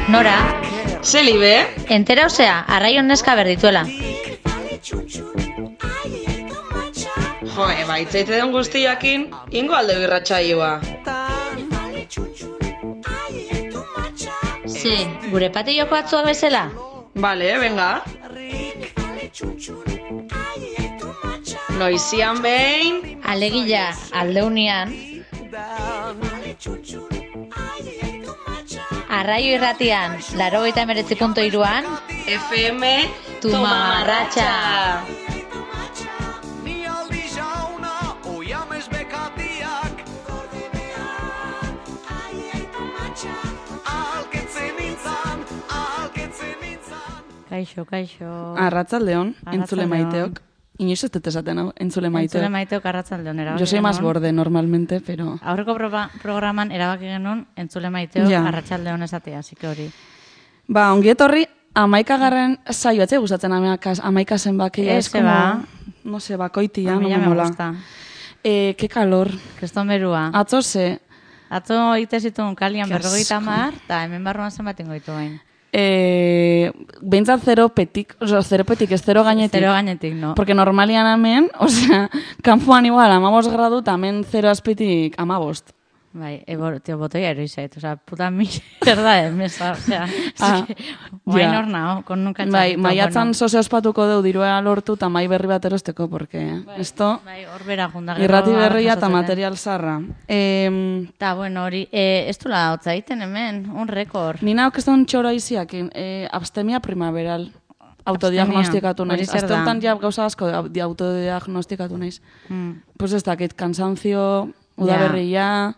Nora? Zelibe? Entera osea, arraion neska berdituela. Jo, baitzaite den guztiakin, ingo alde birratxaioa. Ze, gure patilloko atzuak bezala? Bale, venga. Noizian behin... Alegila, aldeunian. Arraio irratian, 89.3an. FM Tumamarratxa. Kaixo. Arratzaldeon, entzule maiteok. Inoiz ez dut esaten hau, entzule maiteok. Entzule maiteok arratzaldeon erabaki. Yo soy más borde normalmente, pero... Aurreko programan erabaki genuen entzule maiteok arratsaldeon esatea, así que hori. Ba, ongi etorri, 11. saio, etxe gustatzen 11 zenbakia, es como... No sé, bakoitia, no me mola. Qué calor. Kriston berua. Atzo ze... Atzo ite zituen kalian 50, eta hemen barruan zenbaten goitu bain. Behintzat zeropetik, ez zero gainetik. Zero gainetik, no. Porque normalian hemen, kanpoan igual 15 gradu, eta hemen zero azpitik 15. Bai, tio, botoia eroizait, puta mierda mesa, guain hor nao, kon nunca txarrito. Bai, maiatzan sose ospatuko deu dirua lortu, eta mai berri bat erosteko, porque esto, hor bera junda. Irrati berria eta material zarra. Ta, bueno, hori, ez du la hotza iten hemen, un rekord. Nina okeston txoro iziak, abstemia primaveral. Autodiagnostikatu naiz. Azte honetan ja gauza asko autodiagnostikatu naiz. Pues ez dakit, kansantzio, udaberria...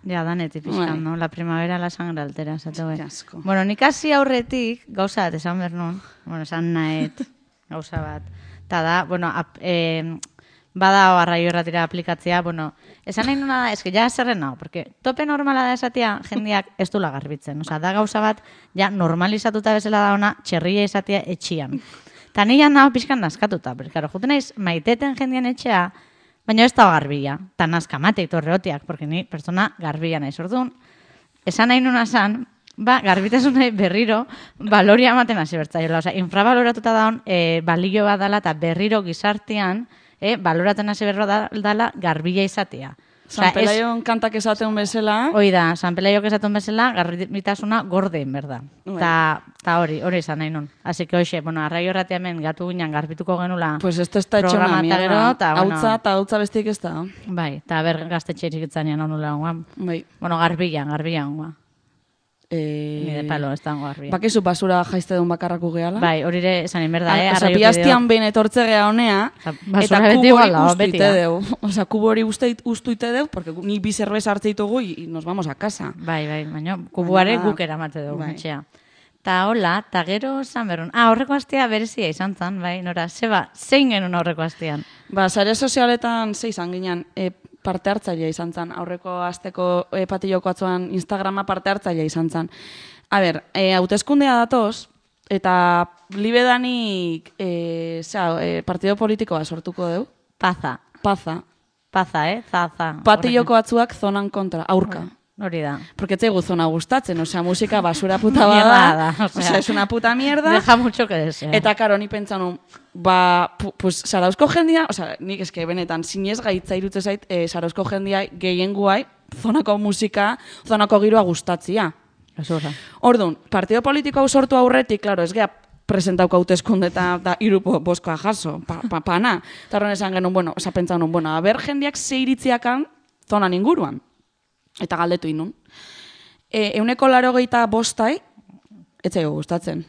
Ja, danetik pixkan, no? La primavera la sangre altera, esate bai. Bueno, nik hasi aurretik, gauza bat, esan behar nun. Bueno, esan nahet, gauza bat. Ta da, bueno, bada arraio erratira aplikatzea, bueno, esan nahi nuna da, eske ja zerren nao, porque tope normala da esatia jendiak ez dula garbitzen. Osa, da gauza bat, ja normalizatuta bezala da ona, txerria esatia etxian. Ta nian nao pixkan naskatuta, porque, karo, juten naiz, maiteten jendian etxea, baina ez da garbila, eta nazkamateik torreotiak, porque ni persona garbila nahi zordun. Esan nahi nuna zan, garbitasunai berriro baloria ematen hasi bertzaiola. Osa, infrabaloratuta daun balio bat dala eta berriro gizartean baloraten hasi berro dala garbila izatea. San Pelaion kantak esaten bezala. Hoi da, San Pelaiok esaten bezala, garbitasuna gorden, berda. Ta hori izan nahi nun. Así que hoxe, bueno, arraio erratia hemen gatu ginen garbituko genula. Pues esto está hecho una mierda. Hautza bestik ez da. Bai, eta ber gaztetxe txikitzanean onula honguan. Bai. Bueno, garbila honguan. Nire palo, ez da garbila. Bakizu basura jaizte duen bakarraku gehala. Bai, hori ere esan inberda, Osa, piaztian behin etortze geha honea, eta kubori ustuite deu. Osa, kubori ustuite deu, porque ni bi zerbeza hartze ditugu y nos vamos a casa. Bai, baina kubuare guk eramate dugu, etxea. Ta hola, ta gero esan berrun. Horreko astea berezia izan zan, bai, Nora, zein genuen horreko astean? Sare sozialetan izan ginen, parte hartzailea izan zen. Aurreko asteko patilloko atzoan Instagrama parte hartzailea izan zen. A ber, hauteskundea datoz, eta libedanik partido politikoa sortuko deu. Paza, zaza. Patilloko atzuak zonan kontra, aurka. Hori da. Porque ez zaigu zona gustatzen, osea, musika basura puta bada. Osea, es una puta mierda. Deja mucho que desear. Eta karo, ni pentsanu, pues, Zarauzko jendia, osea, nik eske benetan, sinez gaitza irutze zait, Zarauzko jendia gehien guai, zonako musika, zonako giroa gustatzia. Orduan, partido politiko hau sortu aurretik, klaro, ez geha presentauko hauteskunde eta irupo boskoa jaso, pana. Eta horren esan genuen, bueno, osea, pentsanu, bueno, a ber jendiak ze iritziakan zonan inguruan. Eta galdetu inun. 185 ez zaigu gustatzen.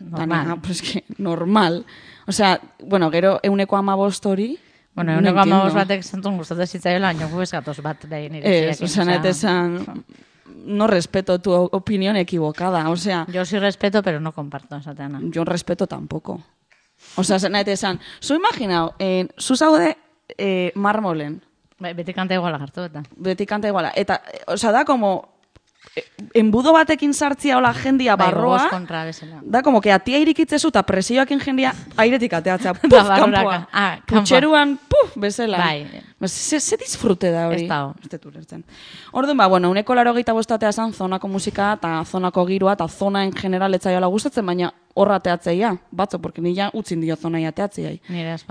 Normal. Osea, bueno, gero 115 hori... Bueno, 115 batek zentun gustatzen zitzaioela, baina gu gatoz bat behin iritziak. Osa, no respeto tu opinión equivocada, o sea... Yo sí respeto, pero no comparto esa teana. Yo respeto tampoco. O sea, zanete esan, zu imaginau, zu zaude marmolen. Beti kanta iguala hartu eta. Beti kanta iguala. Eta, osea, da como... Enbudo batekin sartzia hola jendia barroa. Da como que atia irikitzezu eta presioakin jendia airetik ateatzea. Puf, kanpoa. Putxeruan, puf, bezala. Ze disfrute da hori? Ez dago. Ez dut ulertzen. Orduan, bueno, uneko 85 esan zonako musika eta zonako giroa eta zona en general etzaiola gustatzen, baina horra teatzeia, batzo, porque nila utzin dio zonai ateatzeai.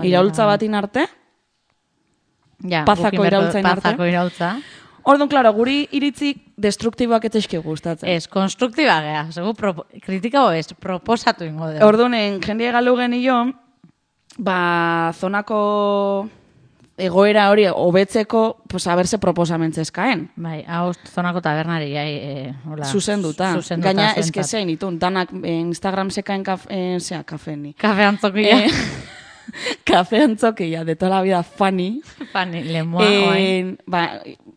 Iraultza batin arte, pazako iraultzain arte. Pazako iraultza. Orduan, klaro, guri iritzik destruktiboak etzeizki gustatzen. Ez, konstruktiba gea. Segu kritikao ez, proposatu ingo dugu. Orduan, jendie galu genio, zonako egoera hori hobetzeko, pues a berse proposamentzeskaen. Bai, hau zonako tabernari hola. Zuzenduta. Gaina eske zein itun, danak Instagram sekaen kafeni. Kafe antzokia. Kafe antzokia, de toda la vida Fanny. Fanny, lemoa.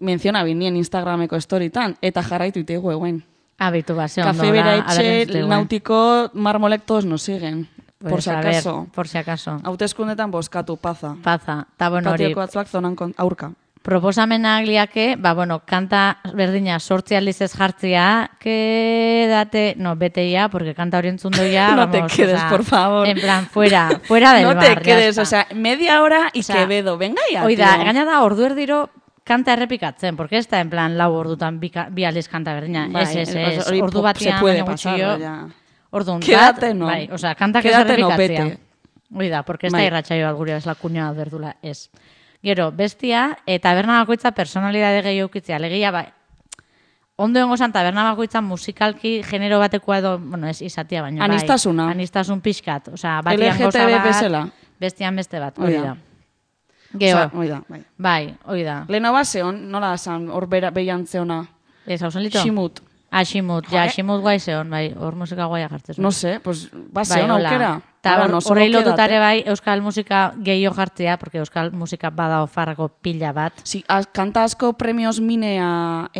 Menciona bini en Instagrameko storietan, eta jarraitu itegu eguen. Abitu base ondo. Kafe bera etxe, nautiko, marmolek todos nos siguen. Por si acaso. Por si acaso. Hauteskundetan bozkatu, paza. Paza. Ta bueno hori. Patioko batzuak zonan aurka. Proposamenak liake, kanta berdina 8 aldiz ez jartzia, quédate, no, vete ya, porque kanta hori entzundu ya, no te quedes, por favor. En plan, fuera del bar. No te quedes, o sea, media hora y Quevedo, venga ya, oida, gaina da, ordu erdiro kanta errepikatzen, porque ez da, en plan, 4 ordutan bi aldiz kanta berdina. Ez, ordu batian, baina gutxio. Orduan, quédate no. Bai, o sea, kantak ez errepikatzea. Oida, porque ez da irratxaio bat gure, ez la kuña berdula, ez. Gero, bestia, taberna bakoitza personalidade gehiago ukitzea. Legia, ondo dengo zan, taberna bakoitza musikalki genero batekoa edo, bueno, ez izatia baino. Anistasuna. Anistasun pixkat. Osa, batian goza bat, bestian beste bat. Oida. Gero, bai, oida. Leheno bat zeon, nola zan, hor behian zeona. Ez, hau zen lito? Ximut. Ximut, Ximut guai zeon, bai, hor musika guaia jartzen. No sé, pues, zeon aukera. Horrei lotutare bai, euskal musika gehiago jartzea, porque euskal musika bada ofarrako pila bat. Si, kanta asko premios minea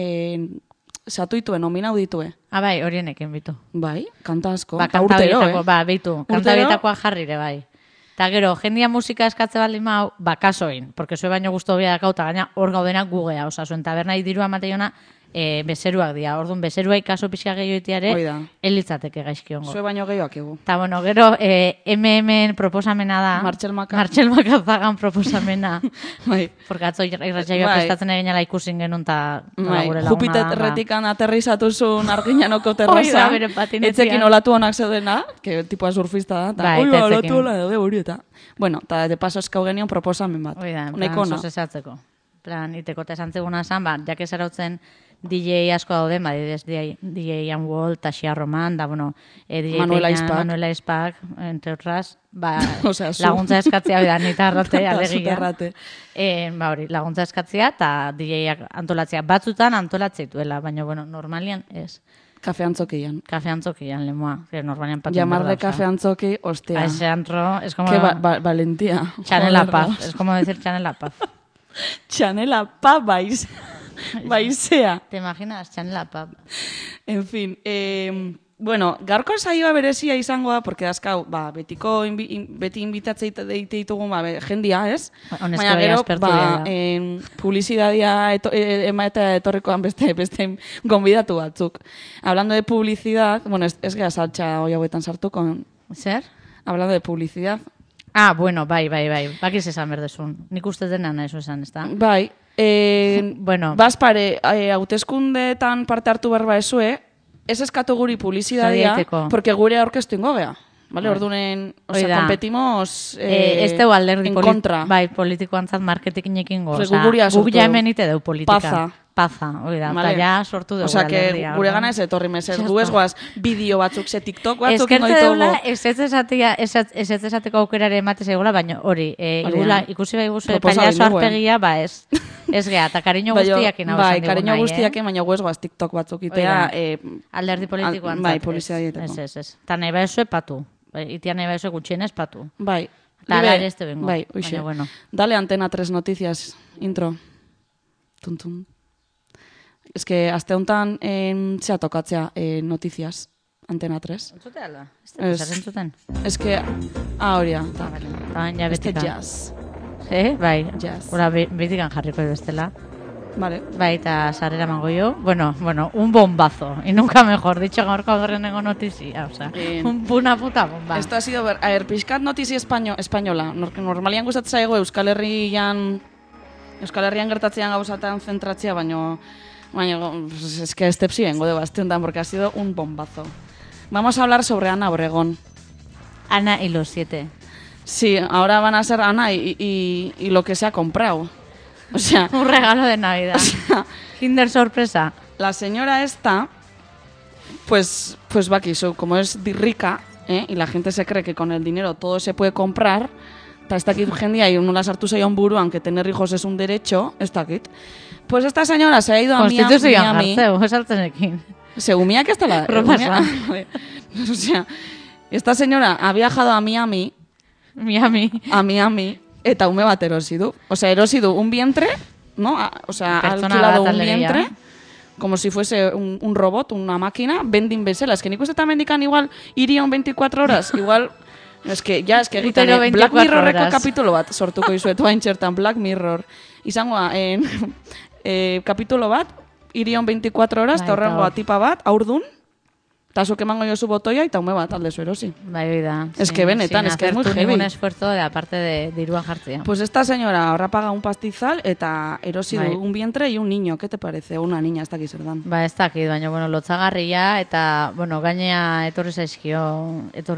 satuitue, nominau ditue. Bai, horienekin bitu. Bai, kanta asko. Kanta horietako, bitu. Kanta horietakoa jarrire, bai. Eta gero, jendia musika eskatze baldin mau, kasoin, porque zue baino guztu hobia dakauta, gaina hor gaudenak gugea, oza, zuen tabernai dirua mateiona, bezeruak dira. Orduan, bezerua ikaso pixka gehioitiare, elitzateke gaizkiongo. Zue baino gehioak egu. Eta, bueno, gero, MMen proposamena da. Martxel Makazagan proposamena. Bai. Porque atzo irratxaioa prestatzen egin ala ikusin genuen, eta gure laguna. Jupiterretikan aterrizatuzun arginanoko terraza. Etzekin olatu honak zeudena, que tipua surfista da. Oi, olatu hola daude hori eta. Bueno, eta de paso eskau genion proposamen bat. Oida, en plan, sosesatzeko. Plan, iteko eta esan zeguna zan, jake zarautzen DJ asko daude, DJ Ian Wall, Taxia Roman, da, bueno, DJ Manuela Ispak, entre otras, laguntza eskatzea, bida, nita arrate, alegia. Hori, laguntza eskatzea, eta DJ-ak antolatzea. Batzutan antolatzea baina, bueno, normalian ez. Kafe antzokian. Kafe antzokian, lemoa. Normalian paten llamar de kafe antzoki, hostia. A ese antro, es como... Qué valentía. Chanela Paz, es como decir Chanela Paz. Chanela Paz, baizea. ¿Te imaginas? Chanela Paz. En fin, bueno, gaurko saioa berezia izango da, porque dazkau, beti inbitatzei deite ditugun, jendia, ez? Baina gero, publizidadia emaeta etorrikoan beste gonbidatu batzuk. Hablando de publicidad, bueno, ez gara saltxa hoi hauetan sartuko. Zer? Hablando de publicidad. Bueno, bai. Bakiz esan berdezun. Nik uste dena nahi esan, ez da? Bai. Bueno. Bazpare, hauteskundetan parte hartu berba ezue, ez eskatu guri publizidadia, porque gure aurkeztu ingo gea. Vale, ordunen, competimos este alderdi en contra. Bai, politikoantzat marketingekin go. Guk ja hemen ite deu politika. Paza, oida, eta ja sortu dugu alderdia. Gure gana ez etorri meser, du ez goaz bideo batzuk, ze TikTok batzuk ingo ditugu. Ez esateko aukerare ematez egola, baina hori, ikusi bai guzu, pailazo arpegia, ez. Ez geha, eta kariño guztiakin hau esan digun nahi. Bai, kariño guztiakin, baina guez goaz TikTok batzuk itea. Alderdi politikoan. Bai, poliziadieteko. Ez. Eta nahi baizue patu. Itia nahi baizue gutxienez patu. Bai. Eta ala ere este bengo. Bai, uixe. Dale Antena 3 noticias, intro. Tuntun. Ez que, azte honetan, zea tokatzea noticias, Antena 3. Entzute alda? Ez entzuten? Ez que, hori da. Este jazz. Bai. Jazz. Hora, betikan jarriko bestela. Vale. Bai, eta sarrera mango yo. Bueno, un bombazo. Y nunca mejor dicho gaurko gerrenengo notizia. O sea, una puta bomba. Esto ha sido, pixkat notizia española. Normalian gustatzen zaigu Euskal Herrian Euskal Herrian gertatzean gauzatan zentratzea, baina es que este sí vengo de bastante, porque ha sido un bombazo. Vamos a hablar sobre Ana Obregón. Ana y los 7. Sí, ahora van a ser Ana y lo que se ha comprado. O sea, un regalo de Navidad. O sea, Kinder sorpresa. La señora esta, pues va aquí, como es rica, y la gente se cree que con el dinero todo se puede comprar, está aquí jendia y uno las hartu zaio buru, aunque tener hijos es un derecho, está aquí. Pues esta señora se ha ido a Miami. Según mía que está la... O sea, esta señora ha viajado a Miami, eta ume bat erosi du. O sea, erosi du un vientre, ¿no? O sea, ha alquilado un vientre, como si fuese un robot, una máquina, vending bezala. Es que nik ustetan mendikan igual iría un 24 horas, igual... Es que egiten, Black Mirrorreko kapitulo bat sortuko izuet, bain txertan, Black Mirror. Izangoa, kapitulo bat, irion 24 horas, eta horrengoa tipa bat, aurdun, eta zuk emango jozu botoia, eta ume bat alde erosi. Bai, da. Es que benetan, es que es muy heavy. Ningún esfuerzo de aparte de diruan jartzea. Pues esta señora ahora paga un pastizal, eta erosi du un vientre y un niño, ¿qué te parece? Una niña, ez dakit zer dan. Ba, ez dakit, baina, bueno, lotzagarria, eta, bueno, gainea etorri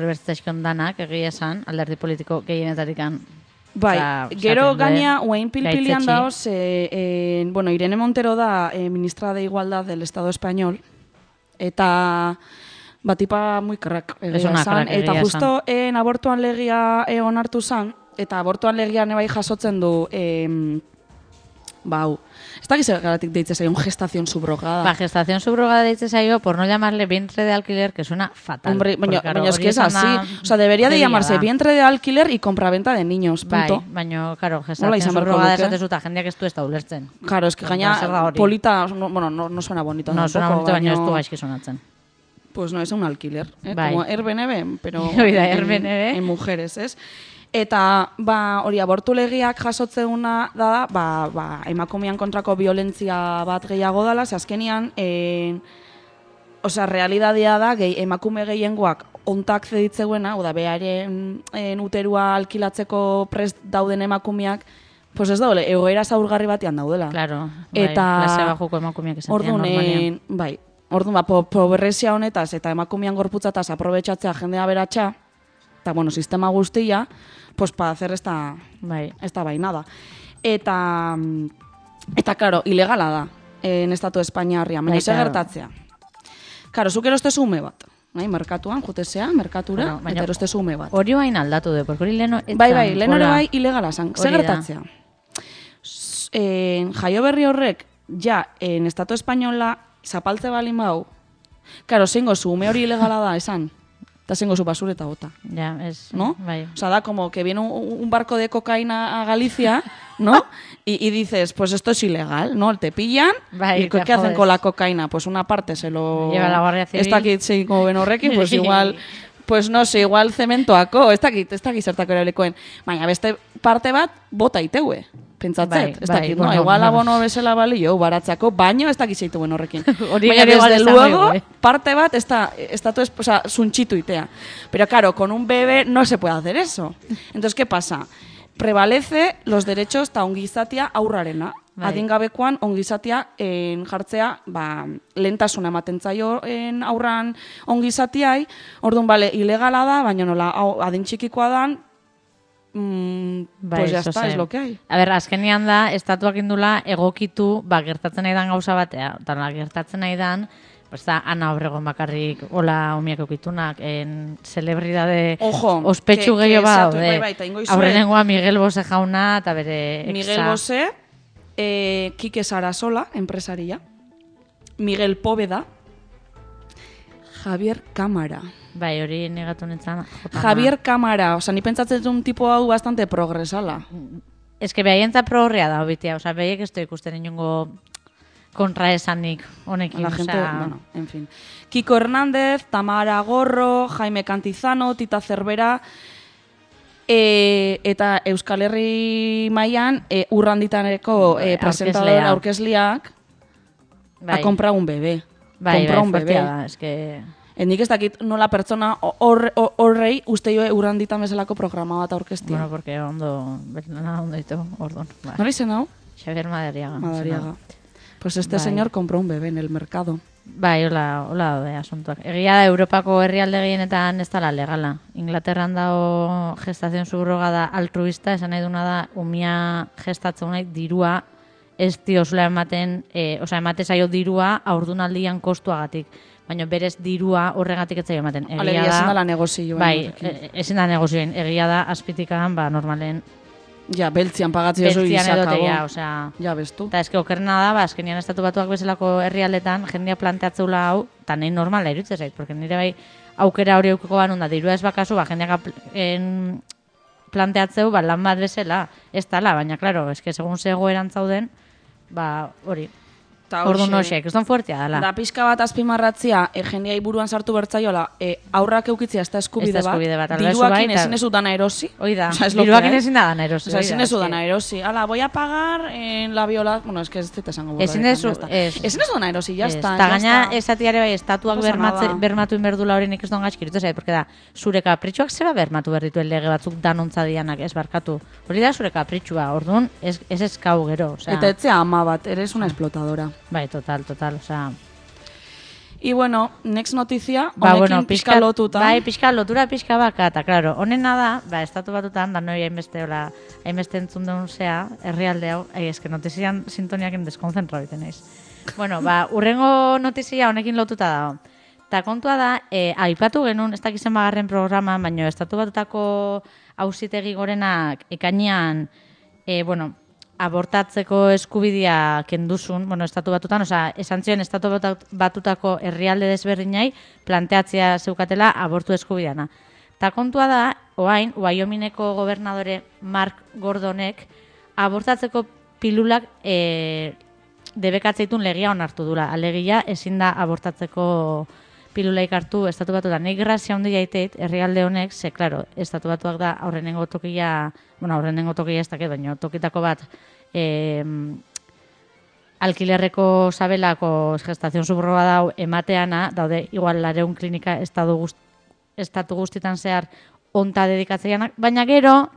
bertzaizkion danak, egia esan, alderdi politiko gehienetarikan. Bai, gero gaina, uein pilpilian daoz, bueno, Irene Montero da ministra de Igualdad del Estado Español, eta batipa muy crack, eta justo abortuan legia onartu zan, eta abortuan legian ebai jasotzen du, bau, ez da gizagaratik deitze zaio, gestación subrogada. Ba, gestación subrogada deitze zaio, por no llamarle vientre de alquiler, que suena fatal. Hombre, baina es que es así. O sea, debería de llamarse vientre de alquiler y compraventa de niños, punto. Bai, baina, claro, gestación subrogada esatezuta, jendeak ez du ez da ulertzen. Claro, es que gaina polita, bueno, no suena bonito. No suena bonito, baina ez du gaizki sonatzen. Pues no, es un alquiler, como Airbnb, pero en mujeres, ¿es? Eta, hori abortu legiak jasotzeuna da, emakumean kontrako violentzia bat gehiago dala, ze azkenian, realidadea da, emakume gehiengoak ontak zeditzeuena, oda, beharen uterua alkilatzeko prest dauden emakumeak, pues ez daule, egoera zaurgarri batean daudela. Claro, klase bajuko emakumeak esatean normalean. Bai, orduan, pobrezia honetaz eta emakumean gorputzataz aprobetxatzea jendea beratxa, eta, bueno, sistema guztia, pues para hacer esta bainada. Eta, claro, ilegala da, en estatu Espainiarria, baina ze gertatzea. Claro, zuk erostezu ume bat, merkatuan, jutezea, merkatura, eta erostezu ume bat. Hori bain aldatu de, porque hori leno... Bai, leno ere bai ilegala zan. Ze gertatzea. Jaio berri horrek, en estatu Espainola, zapaltze balin bau, claro, zeingo zu, ume hori ilegala da, esan. Eta zengo zu basureta bota. Ya, es... ¿No? Bai. O sea, da como que viene un barco de cocaína a Galicia, ¿no? y dices, pues esto es ilegal, ¿no? Te pillan, y ¿qué hacen con la cocaína? Pues una parte se lo... Lleva la Guardia Civil. Esta aquí, sí, como benorrekin, pues igual... Pues no sé, igual zementoako, ez dakit zertako erablekoen. Baina beste parte bat, bota iteue. Pentsatzet, ez dakit, no? Igual abono bezala balio, baratzako, baino ez dakit zeitu horrekin. Baina desde luego, parte bat, zuntxitu itea. Pero claro, con un bebé no se puede hacer eso. Entonces, ¿qué pasa? Prevalece los derechos ta ongizatia aurrarena. Adingabekoan ongizatia jartzea, lehentasuna ematen zaio aurran ongizatiai, orduan, bale, ilegala da, baina nola adin txikikoa dan, pues ya está, es lo que hay. A ber, azkenian da, estatuak indula egokitu, gertatzen nahi dan gauza batea, eta gertatzen nahi dan, pues da, Ana Obregón bakarrik, hola omiak okitunak, celebridade ospetsu gehiago bat, aurrenengoa Miguel Bosé jauna, eta bere exa. Miguel Bosé, Kike Sarasola, empresaria, Miguel Póveda, Javier Cámara. Bai, hori negatu nintzen. Javier Cámara, oza, ni pentsatzen un tipo hau bastante progresala. Ez que behaientza progrea da, obitia, oza, behaiek ez ikusten inongo kontraesanik honekin. La gente, bueno, en fin. Kiko Hernández, Tamara Gorro, Jaime Cantizano, Tita Cervera, eta Euskal Herri mailan urranditaneko presentador aurkezliak ha comprado un bebé. Compró un bebé. Es que... Nik ez dakit nola pertsona horrei uste joe urranditan bezalako programa bat aurkeztia. Bueno, porque ondo ditu, orduan. Nola izen hau? Xavier Madariaga. Madariaga. Pues este señor compró un bebé en el mercado. Bai, hola daude asuntuak. Egia da, Europako herrialde gehienetan ez dela legala. Inglaterran dago gestazion subrogada altruista, esan nahi duna da, umia gestatzen nahi dirua ez diozula ematen, emate zaio dirua aurdunaldian kostuagatik. Baina berez dirua horregatik ez zaio ematen. Alegia ezin da la negozioa. Bai, ezin da negozioen. Egia da, azpitikan, normalen ja, beltzian pagatzea oso izakago. Ja, bestu. Eta eske okerna da, azkenian estatu batuak bezalako herrialdetan, jendia planteatzeula hau, eta nahi normala iruditzen zait, porque nire bai aukera hori eukiko banun da, dirua ez bakazu, jendeak planteatzeu, lan bat bezala, ez tala, baina, klaro, eske segun zegoeran zauden, hori. Orduan hoxek, ez don fuertea dela. Da pixka bat azpimarratzia, jendeai buruan sartu bertzaiola, aurrak eukitzia ez da eskubide bat. Diruakin ezin ez dana erosi. Oida, diruakin ezin da dana erosi. Ezin ez dana erosi. Ala, voy a pagar en la viola... Bueno, es que ez dut esango. Ezin ez dana erosi, jazta. Eta gaina esatiare bai, estatuak bermatu inberdula hori nik ez don gaizkiritu zait, porque da, zure kapritxuak zeba bermatu berdituen lege batzuk danontza dianak ez barkatu. Hori da zure kapritxua, orduan ez eskau gero. Eta etzea ama bat, eres una explotadora. Bai, total, Y bueno, next noticia, honekin pixka lotuta. Bai, pixka lotura, pixka baka, eta claro, honena da, estatu batutan, da noi hainbeste entzun deun zea, herrialde hau, eske notizian sintoniakin deskonzentra biten naiz. Bueno, urrengo notizia honekin lotuta dago. Ta kontua da, aipatu genuen, ez dakizen bagarren programa, baina estatu batutako auzitegi gorenak ekainean, abortatzeko eskubidea kenduzun, estatu batutan, esan zion estatu batutako herrialde desberdinai planteatzea zeukatela abortu eskubideana. Ta kontua da, oain, Wyomingeko gobernadore Mark Gordonek abortatzeko pilulak debekatzeitun legia onartu dula. Alegia ezin da abortatzeko pilulaik hartu estatu batutan. Nik grazia handi jaiteit, herrialde honek, ze, klaro, estatu batuak da aurrenengo tokia ez dakit, baina tokitako bat alkilerreko sabelako gestazion subroga dau emateana, daude igual 200 klinika estatu guztitan zehar onta dedikatzeianak, baina gero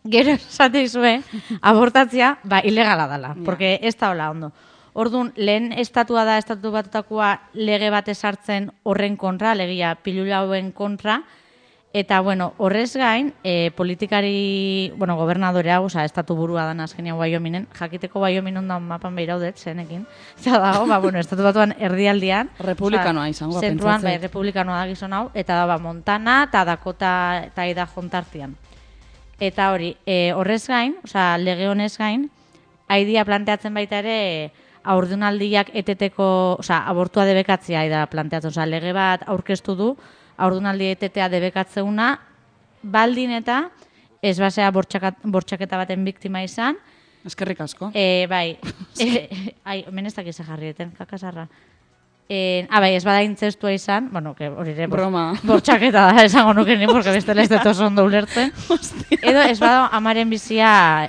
esate izue, abortatzea, ilegala dela, porque ez da hola ondo. Orduan, lehen estatua da, estatu batutakoa lege bat esartzen horren kontra, alegia pilula hauen kontra, eta, horrez gain, politikari, gobernadore hau, estatu burua dan azkenia Wyomingen, jakiteko Wyoming ondan mapan behiraudet, zenekin, eta dago, estatu batuan erdialdian, republikanoa izango, pentsatzen. Zentruan, republikanoa da gizon hau, eta da, Montana, eta Dakota, eta Idaho jontartian. Eta hori, horrez gain, lege honez gain, haidia planteatzen baita ere, aurdunaldiak eteteko, abortua debekatzea da planteatzen, lege bat aurkeztu du, aurdunaldi etetea debekatzeuna, baldin eta ez basea bortxaketa baten biktima izan. Eskerrik asko. Bai, menestak izan jarrieten, kakasarra. Ez bada intzestua izan, hori ere bortxaketa da, esango nuken, porque bestela ez dut oso ondo ulertzen. Edo ez bada amaren bizia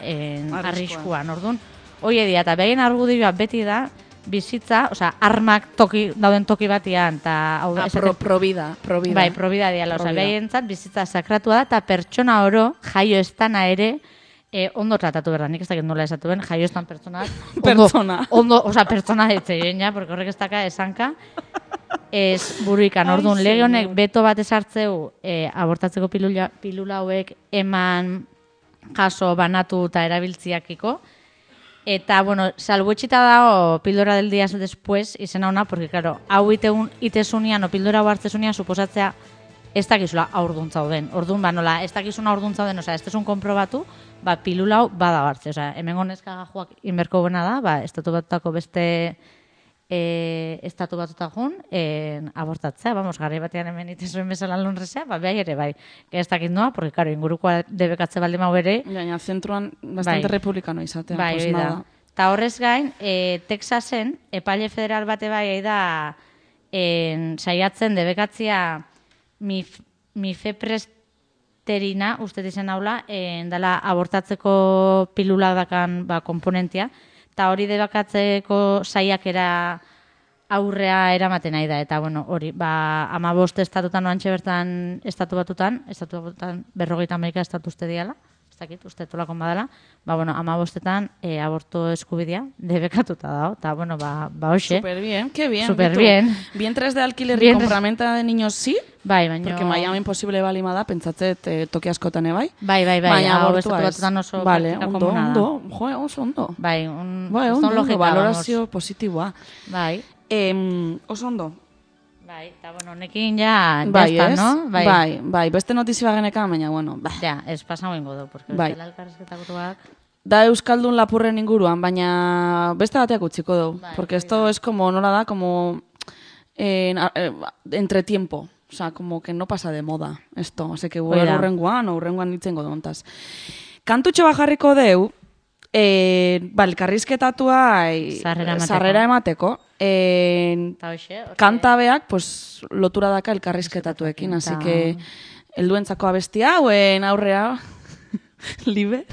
arriskuan, orduan. Oie dira, eta behaien argudioa beti da, bizitza, armak dauden toki batian, eta... Probida. Bai, probida diala, behaien zat, bizitza sakratua da, eta pertsona oro, jaio estana ere, ondo tratatu berda, nik ez dakit nola esatuen, jaio estan pertsonak... Pertsona ditzeien, ja, porque horrek ez daka esanka, ez buruikan, orduan, lege honek beto bat esartzeu, abortatzeko pilula hauek eman jaso banatu eta erabiltziakiko. Eta, salbuetxita dago pildora del día después izena ona, porque, claro, hau itesunian o pildora hau hartzesunian suposatzea ez dakizula aurduntza den. Orduan, nola, ez dakizuna aurduntza den, ez desun konprobatu, pilula hau bada hartze. Hemen gonezka gajoak inberko buena da, estatu batutako beste estatu batutakun abortatzea, garri batean hemen itezuen bezala lonrezea, behar ere, ez dakit noa, porque, claro, ingurukoa debekatze baldin mau ere. Gaina, zentruan bastante republikano izatea. Bai, da. Ta horrez gain, Texasen, epaile federal bate bai da saiatzen debekatzia mifepresterina, uste dizen haula, dela abortatzeko pilula dakan komponentia, eta hori debekatzeko saiakera aurrea eramaten nahi da, eta hori, 15 estatutan oantxe bertan estatu batutan 50 estatu uste diala, dakit, uste tolakon badala, ba, bueno, 15etan aborto eskubidea debekatuta dago, eta, bueno, ba, hoxe. Súper bien, qué bien. Súper bien. Vientres de alquiler y compraventa de niños sí? Bai, baina... Porque Miami imposible balima da, pentsatzet toki askotan bai? Bai, baina abortua ez. Oso vale, praktika komuna da. Oso ondo. Bai, ondo, valorazio positiboa. Bai. Oso ondo. Bai, eta bueno, honekin ja está, no? Bai, beste notizia bagenekan, baina, bueno. Ja, ez pasau ingo du, porque bai. Bestela elkarrezketakoak... Da Euskaldun lapurren inguruan, baina beste bateak utziko du. Bai, porque esto es como, nola da, como entretiempo. O sea, como que no pasa de moda esto. Así que urrenguan ditzengo dontaz. Kantutxo bajarriko deu, elkarrizketatua sarrera emateko. Kantabeak, pues, lotura daka elkarrizketatuekin. Así que, helduentzako abestia, hauen aurrea, libe.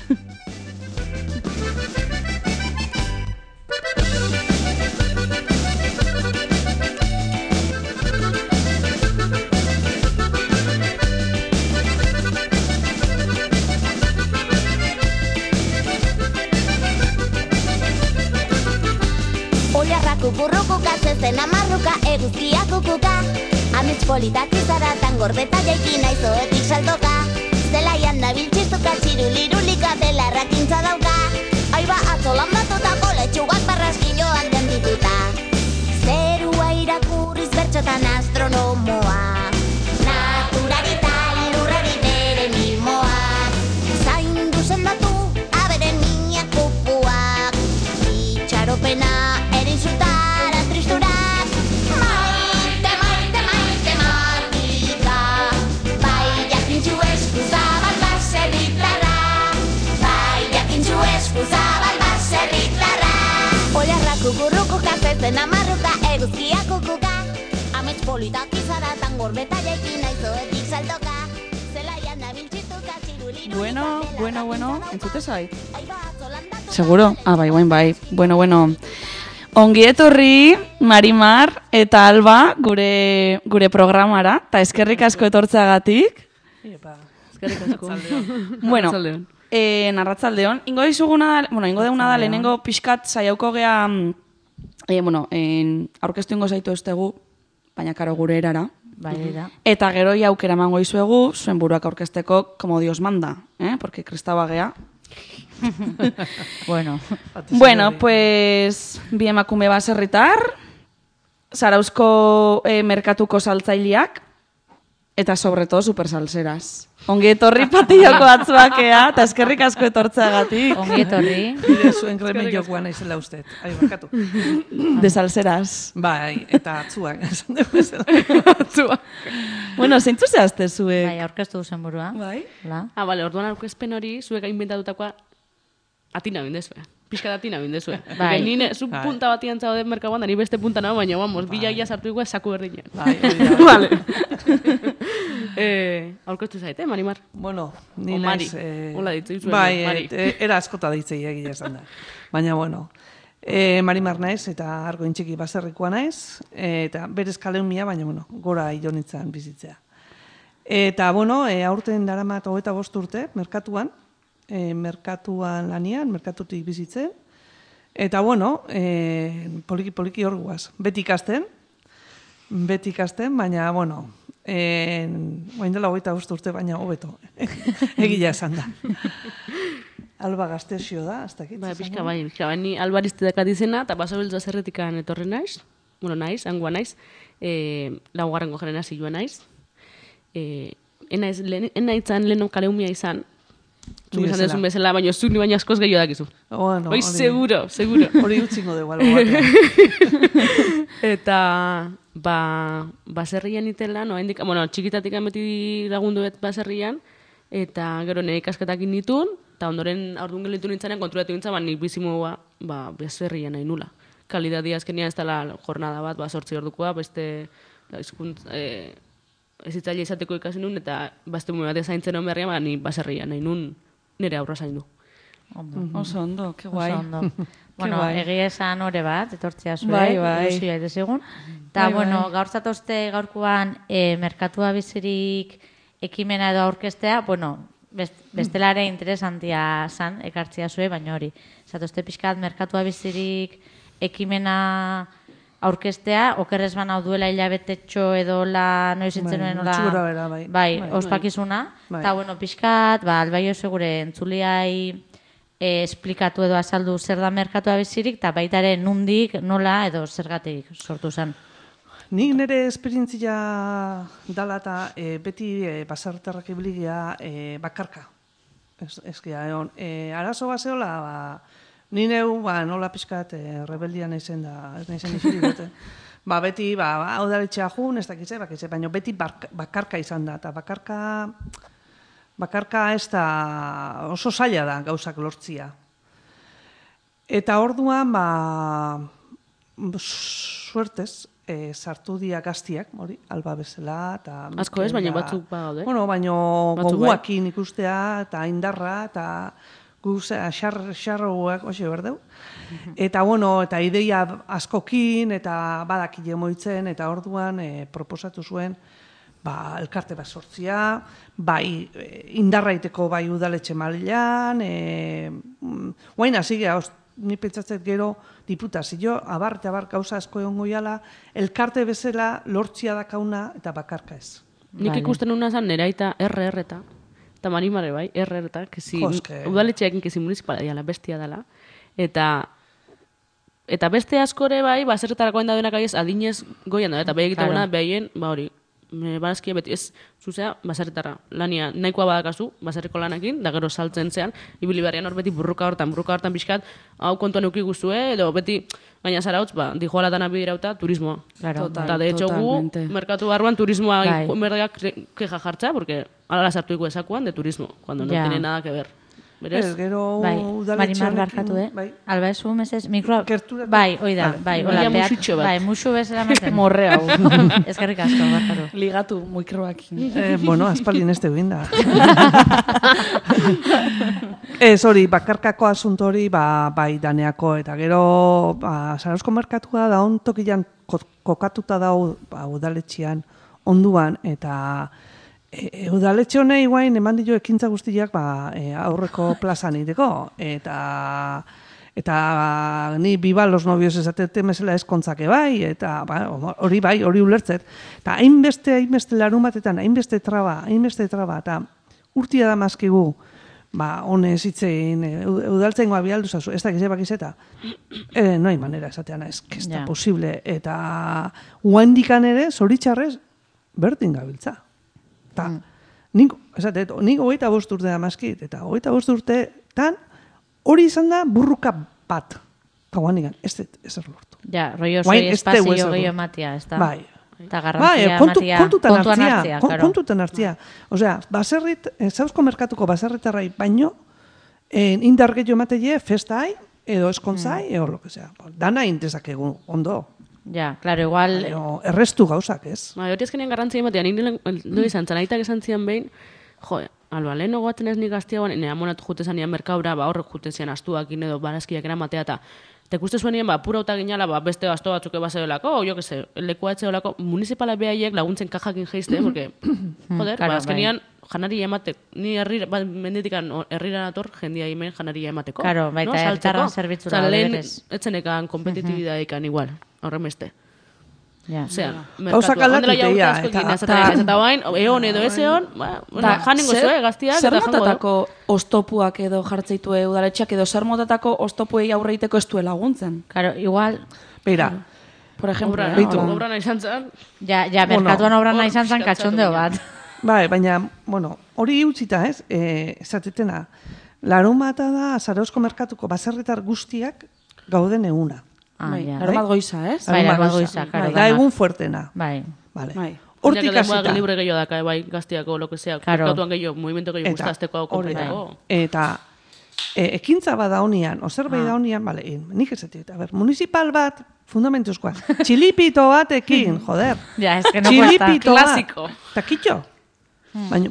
Kukurrukuka, zezen amarruka, eguzkia kukuka. Amets politak izaratan gordeta jaiki naizoetik saltoka. Zelaian nabil txistuka, txirulirulika, belarrak intza dauka. Aiba atzolan batutako letxugak barraskiloan dendituta. Zerua irakurriz bertxotan astronomoa. Naturarita lurrari bere mimoak. Zaindu sendatu aberen minak kupuak. Itxaropena zutara tristurak. Maite, maite, maite, matika. Bai jakintxu eskuzabal baserritarra. Bai jakintxu eskuzabal baserritarra. Oiarra kukurrukuka, zezen amarruka, eguzkia kukuka. Amets politak izaratan gorbeta jaikin naizoetik saltoka. Zelaian nabiltxituka, txiruliru. Bueno, entzute zait? Seguro? Bai, bai. Bueno. Ongi etorri, Marimar eta Alba gure programara, eta eskerrik asko etortzeagatik. Eskerrik asko. Bueno, narratzaldeon. Ingo deuna da, lehenengo pixkat saiauko gea, aurkeztu ingo zaitu estegu, baina karo gure erara. Eta gero aukera emango izuegu, zuen buruak aurkezteko, como Dios manda, porque kristaua gea. Bueno, pues bi emakume baserritar, Zarauzko merkatuko saltzaileak eta sobre todo super salseras. Ongi etorri patilloko batzuakea, eta eskerrik asko etortzeagatik. Ongi etorri. Bide zuen remediokoa naizela usted. Barkatu. De salseras. Bai, eta atzuak. Atzuak. Bueno, zeintzu zehazte zuek? Bai, aurkeztu duzen burua. Bai. Bale, orduan aurkezpen hori, zuek inventatukoa atina bindezue. Pixka atina bindezue. Bai. Nire, zu punta batian zaude merkagoan, da ni beste punta nago, baina vamos, bila ia sartu igual saku berdinen. Bai, vale. Aurkeztu zaite, Marimar? Bueno, ni naiz... Hola ditzu izuen, Mari. Mari. Era askota ditzei egia esan da. Baina, bueno, Marimar naiz eta argoin txiki baserrikoa naiz, eta berez kaleumia, baina, bueno, gora idonitzan bizitzea. Eta, bueno, aurten daramat 25 urte, merkatuan lanian, merkatutik bizitzen. Eta, bueno, poliki hor guaz. Beti ikasten, baina, bueno, oain dela 25 urte, baina hobeto. Egia esan da. Alba Gaztexio da, hasta aquí. Bai, pixka bai, ni Albarizte dakat izena, eta basabiltza zerretikan etorri naiz, hangoa naiz, laugarrengo generazioa naiz. Enaitzan leheno kaleumia izan, zuk esan dezun bezala, baina zuk ni baina askoz gehiago dakizu. Bueno, bai, seguro. Hori utzingo dugu, albo batean. Eta, baserrian itela, txikitatik beti lagunduet baserrian, eta gero nire ikasketakin nituen, eta ondoren aurdun gelitu nintzanean kontrolatu nintzen, nik bizimoa baserrian nahi nula. Kalidadia azkenean ez dela jornada bat, 8 ordukoa, beste ezitzaile izateko ikasi nun, eta bazte bat ezaintzen hon berrian, ni baserrian nahi nun nire aurra zaindu. Oso ondo, que guai. Bueno, egia esan hori bat, etortzea zuen, bai. ilusioa edesegun. Eta, bueno, gaur zatozte gaurkoan merkatua bizirik ekimena edo aurkestea, bueno, bestelare interesantia zan, ekartzia zue, baina hori. Zatozte pixkat, merkatua bizirik ekimena aurkestea, okerrez bana duela hilabetetxo edo la noiz intzenuen bai, ospakizuna. Eta, bueno, pixkat, albaio segure entzuliai esplikatu edo azaldu zer da merkatua bizirik, eta baitare nundik, nola edo zergatik sortu zen. Nik nire esperientzia dala eta beti baserritarrak ibiligia bakarka. Arazo bazeola, ni neu nola pixkat rebeldia naizen da, ez naizen izirik dute. Beti, udaletxea jun, ez dakitze, baina beti bakarka izan da, eta bakarka ez da oso zaila da gauzak lortzia. Eta orduan, suertez, sartu dia gaztiak, alba bezala. Asko ez, baina batzuk bagaude. Bueno, baina goguakin ikustea, eta indarra, eta xarroak, oxe berdeu. Eta, bueno, eta ideia askokin, eta badakile moitzen, eta orduan proposatu zuen, elkarte bat sortzia, bai indarraiteko bai udaletxe mailan, guain hasi geha, ni pentsatzet gero diputazio, abar eta abar gauza asko egon goiala, elkarte bezala lortzia dakauna eta bakarka ez. Nik ikusten una zan neraita RR eta Marimare bai, RR eta, udaletxeakin kezi municipala diala, bestia dela, eta beste askore bai, baserretarako da denak aiz adinez goian da, eta bai egitaguna behien, hori, barazkia beti ez, zuzea, baserritarra. Lania nahikoa badakazu, baserriko lanakin, da gero saltzen zean, ibili barrian hor beti burruka hortan pixkat, hau kontuan euki guztue, edo beti, gaina zarautz, dijoala dana bidirauta, turismoa. Eta de hecho gu, merkatu barruan turismoa merdeak keja jartza, porque ala sartu iku esakuan de turismo, cuando no tiene nada que ver. Ez, gero Marimar barkatu, Alba esu, mesez, mikroa... Bai, oida, bai, hola, musu bezala maten. Morre hau. Eskerrik asko, barkatu. Ligatu, mikroakin. Bueno, aspaldin ez teuin da. Ez hori, bakarkako asunto hori, bai daneako, eta gero, Zarauzko merkatua da, ontokian kokatuta dau, udaletxian, onduan, eta... udaletxe honei guain eman dio ekintza guztiak aurreko plazan iteko. Eta ni biba los novios esatete mesela eskontzake bai, eta hori bai, hori ulertzet. Eta hainbeste larun batetan, hainbeste traba, eta urtia da mazkigu, honez itzein, udaltzen goa bialdu zazu, ez da gizebak izeta. No hay manera esatean, ez da posible. Eta guandikan ere, zoritxarrez, berdin gabiltza. Nik 25 urte da mazkit, eta 25 urteetan hori izan da burruka bat. Eta guan digan, ez lortu. Ja, rollo zoi espazio gehiago ematia, ez da? Bai. Eta garrantzia ematia, kontutan hartzia. Osea, Zarauzko merkatuko baserritarrai baino, indar gehiago emateie, festai, edo eskontzai, edo lo que sea. Dana intezak egun, ondo. Ja, claro, igual... Errestu gauzak, ez? Hori ezkenean garrantzia ematea, nire izan zanaitak esan zian behin, alba, lehen ogoatzen ez nik gaztiagoan, nire amonatu jute zanian merkaura, horrek jute zian astuakin edo barazkiak eramatea, eta ikuste zuen nien, pura uta ginala, beste basto batzuk ebazeolako, jo que se, lekua etzeolako, municipala behaiek laguntzen kajakin geizte, porque, azkenean, janaria ematek, ni menditikan herrira nator, jendia hemen janaria emateko. Claro, baita hertarran zerbitzura berez. Etzenekan kompetitibidadikan igual, horren beste. Gauzak aldatutea. Eta bain, egon edo ez egon, janingo zue, gaztiak. Zer motatako oztopuak edo jartzeitue udaletxeak edo zer motatako oztopuei aurreiteko ez due laguntzen? Claro, igual... Beira. Por ejemplo, obra nahi zantzan. Ja, merkatuan obra nahi zantzan katxondeo bat. Bai, baina, hori utzita ez, esatetena, larun bata da Zarauzko merkatuko baserritar guztiak gauden eguna. Larun bat goiza, ez? Bai, larun bat goiza, karo. Da egun fuertena. Bai. Hortik hasita. Libre gehiago daka, bai, gaztiako, lo que sea, merkatuan gehiago, movimento gehiago guztazteko, kompletako. Eta, ekintza bada honian, ozerbait da honian, nik esatik, municipal bat, fundamentuzkoa, txilipito batekin, joder. Ja, ez que no cuesta. Klasiko. Eta kitxo. Baina,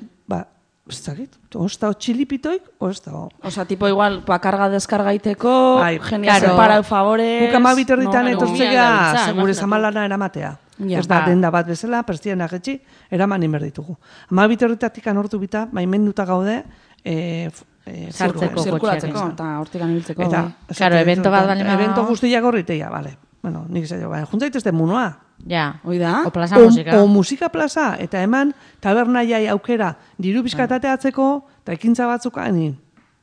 ez dakit, ozta txilipitoik, ozta. Osa, tipo igual, karga deskargaiteko, genia separa favores... Guk amabiterritan etortzea, segure zamalana eramatea. Ez da, denda bat bezala, perstian agetxi, eraman inberditugu. Amabiterritatik anortu bita, baimenduta gaude, Sartzeko zirkulatzeko eta hortik anibiltzeko. Eta, Claro, evento bat bali evento guztiak horriteia, bale. Bueno, nik zailo, juntzaitezte munua. Ja, Hoi da? o plaza musika. O musika plaza, eta eman tabernaiai aukera diru bizkatateatzeko, eta ekintza batzuk,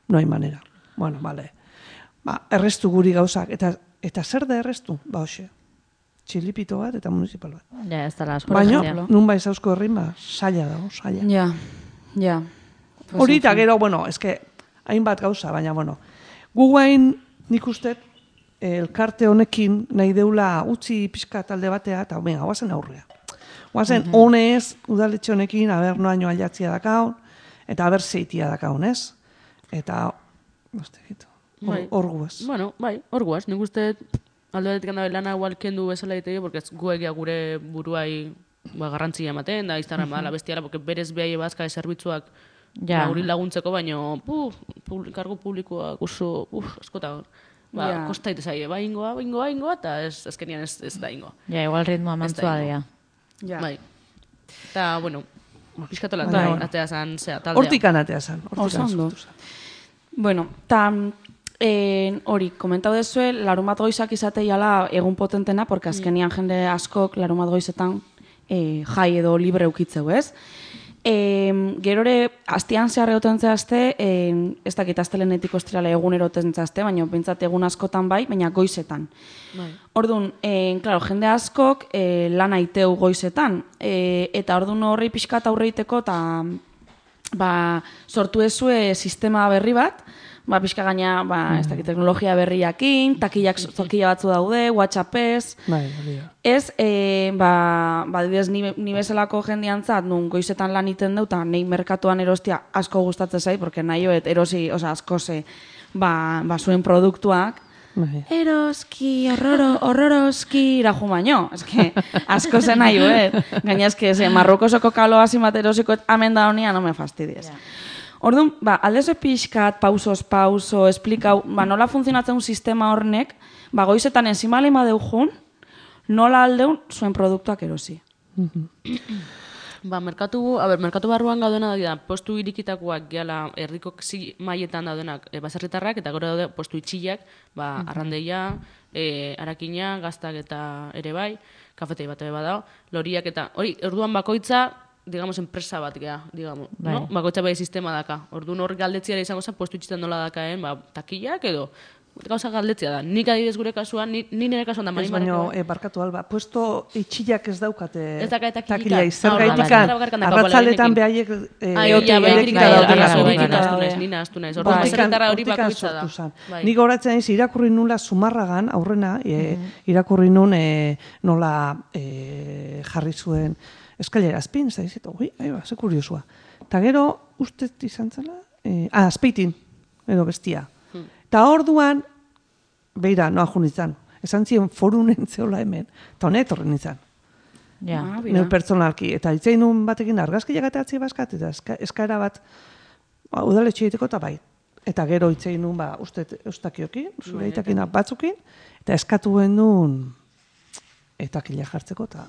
no hay manera. Bueno, vale. Errestu guri gauzak, eta zer da errestu? Hoxe, txilipito bat eta municipal bat. Ja, ez dala asko. Baina, nun bai zauzko herrin, saia dago, saia. Ja. Hori eta gero, bueno, eske, hainbat gauza, baina, bueno, guain nik uste elkarte honekin nahi deula utzi pixka talde batea, eta venga, guazen aurrea. Guazen honez, udaletxe honekin, aber noaino aldatzia dakaun, eta aber zeitia dakaun, ez? Eta, hor guaz. Bueno, bai, hor guaz. Nik uste alde batetik handabe lana igual kendu bezala egiteko, porque guegia gure buruai garrantzia ematen, da Instagram badala bestiala, porque berez behai bazka zerbitzuak guri laguntzeko, baino kargo publikoak oso, askotan, kosta ite zaie, ingoa, eta ezkenian ez da ingoa. Ja, igual ritmoa mantzua dira. Bai. Eta, bueno, pixkatola, atea zan, taldea. Hortikan atea zan. Oso. Bueno, eta hori, komentau dezue, larumat goizak izateiala egun potentena, porque azkenian jende askok larumat goizetan jai edo libre ukitzeu, ez? Gerore, astian zehar egoten zehazte, ez dakit astelenetik ostirala egunero egoten zehazte, baina bintzat egun askotan bai, baina goizetan. Orduan, claro, jende askok lan aiteu goizetan, eta orduan horri pixkat aurreiteko, eta sortu ezue sistema berri bat, pixka gaina, ez dakit, teknologia berriakin, takila batzu daude, WhatsAppez. Ez, dibidez, ni bezalako jendiantzat, nun goizetan lan iten dut, eta nahi merkatuan erostia asko gustatzen zait, porque nahi hoet erosi, asko ze, zuen produktuak, eroski, horroroski, iraju baino. Eske, asko zen nahi hoet. Gaina eske, Marrokosoko kaloa zimat erosiko, amen da honia, no me fastidies. Orduan, aldezo pixkat, pauso, esplikau, nola funtzionatzen un sistema hornek, goizetan enzimalima deujun, nola aldeun zuen produktuak erosi. Merkatu barruan gaudena da, postu irikitakoak gehala erdiko maietan daudenak baserritarrak, eta gero daude postu itxillak, arrandeia, arakina, gaztak eta ere bai, kafetei bat ere badao, loriak eta, hori, orduan bakoitza, digamos, enpresa bat gea, digamos, no? Bakoitza bai sistema daka. Orduan hor galdetziara izango zen, postu itxitzen nola dakaen, takillak edo, gauza galdetzia da. Nik adibidez gure kasuan, ni nire kasuan da mani marako. Ez baino, barkatu alba, puesto itxillak ez daukate ez dakate takila. Zer gaitikan, arratzaletan behaiek nina astu naiz. Orduan, baserritarra hori bakoitza da. Nik horatzen naiz, irakurri nula Zumarragan, aurrena, irakurri nun nola jarri zuen eskailera azpin, ez da izet, ze kuriosua. Eta gero, uste izan zela, azpeitin, edo bestia. Eta orduan, beira, noa jun izan, esan ziren forunen zeola hemen, eta honet horren izan. Neu pertsonalki. Eta itzein nun batekin argazkiak ateatzi baskat, eta eskaera bat, udaletxe egiteko eta bai. Eta gero itzein nun, ustakiokin, zure itakin batzukin, eta eskatuen nun, etakila jartzeko, eta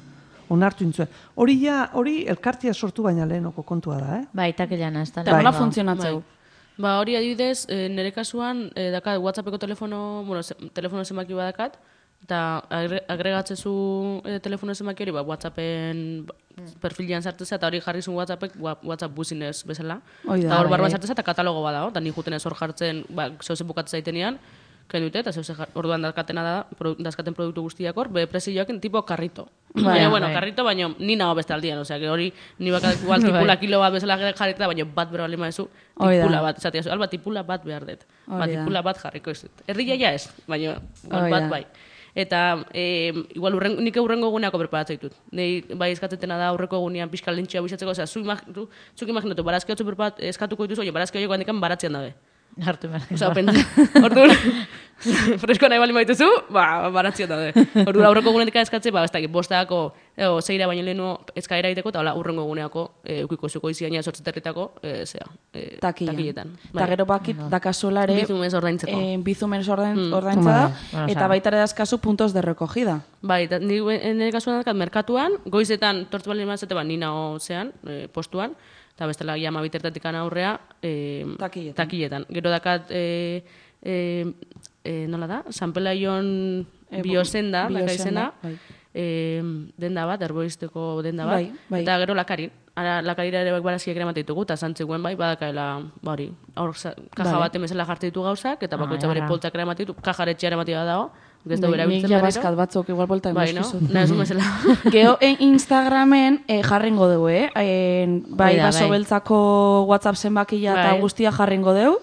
onartu intzuen. Hori elkartia sortu baina lehenoko kontua da, Itakilana ez da. Eta nola funtzionatzeu? Hori adibidez, nire kasuan, dakat WhatsAppeko telefono zenbaki badakat, eta agregatzezu telefono zenbaki hori, WhatsAppen perfilian sartzea, eta hori jarri zuen WhatsApp business bezala. Eta hor barruan sartzea, eta katalogo badao, eta nik juten ez hor jartzen, zeuze bukatzen zaitenean, kendute, eta zeuze orduan dazkaten produktu guztiak hor, presioaken tipo karrito. Baina, karrito, baina ni nago beste aldian, osea, hori ni bakat igual tipula kilo bat bezala jarrita, baina bat bero alima ezu, tipula bat, esatia zu, alba tipula bat behar dut, tipula bat jarriko ez dut. Erria ja ez, baina bat bai. Eta igual nik urrengo eguneako preparatzen ditut. Nei bai eskatzetena da aurreko egunean pixka lentxia bizatzeko, osea, zuk imaginatu, barazki hotzu eskatuko dituzu, barazki horiek handikan baratzean dabe. Hartu behar. Osa, orduan, fresko nahi bali maituzu, baratzion daude. Orduan, aurreko egunetik eskatze, ez dakit, bostako, zeira baino lehenu eskaera egiteko, eta urrengo eguneako, eukiko zuko iziaina sortzeterritako, takiletan. Eta gero bakit, dakazuela ere, bizumens ordaintza da, eta baita ere dazkazu puntos de recogida. Bai, nire kasuan dakat merkatuan, goizetan tortu bali mazete, nina zean, postuan, eta bestela ja 12 aurrea takiletan. Gero dakat nola da? San Pelaion biosenda, izena, denda bat, herboisteko denda bat, eta gero Lakarin. Ara, Lakarira ere barazkiak ere ditugu, eta zantzikuen badakaela, hori, kaja baten bezala jartzen ditu gauzak, eta bakoitza bere poltsak ere ditu, kajaretxea ere dago, ez da bera biltzen berriro. Nik baskat batzuk igual polta emaskizut. Nahi zu bezala. Geo, Instagramen jarringo dugu, bai, baso beltzako WhatsApp zenbakia eta guztia jarringo dugu.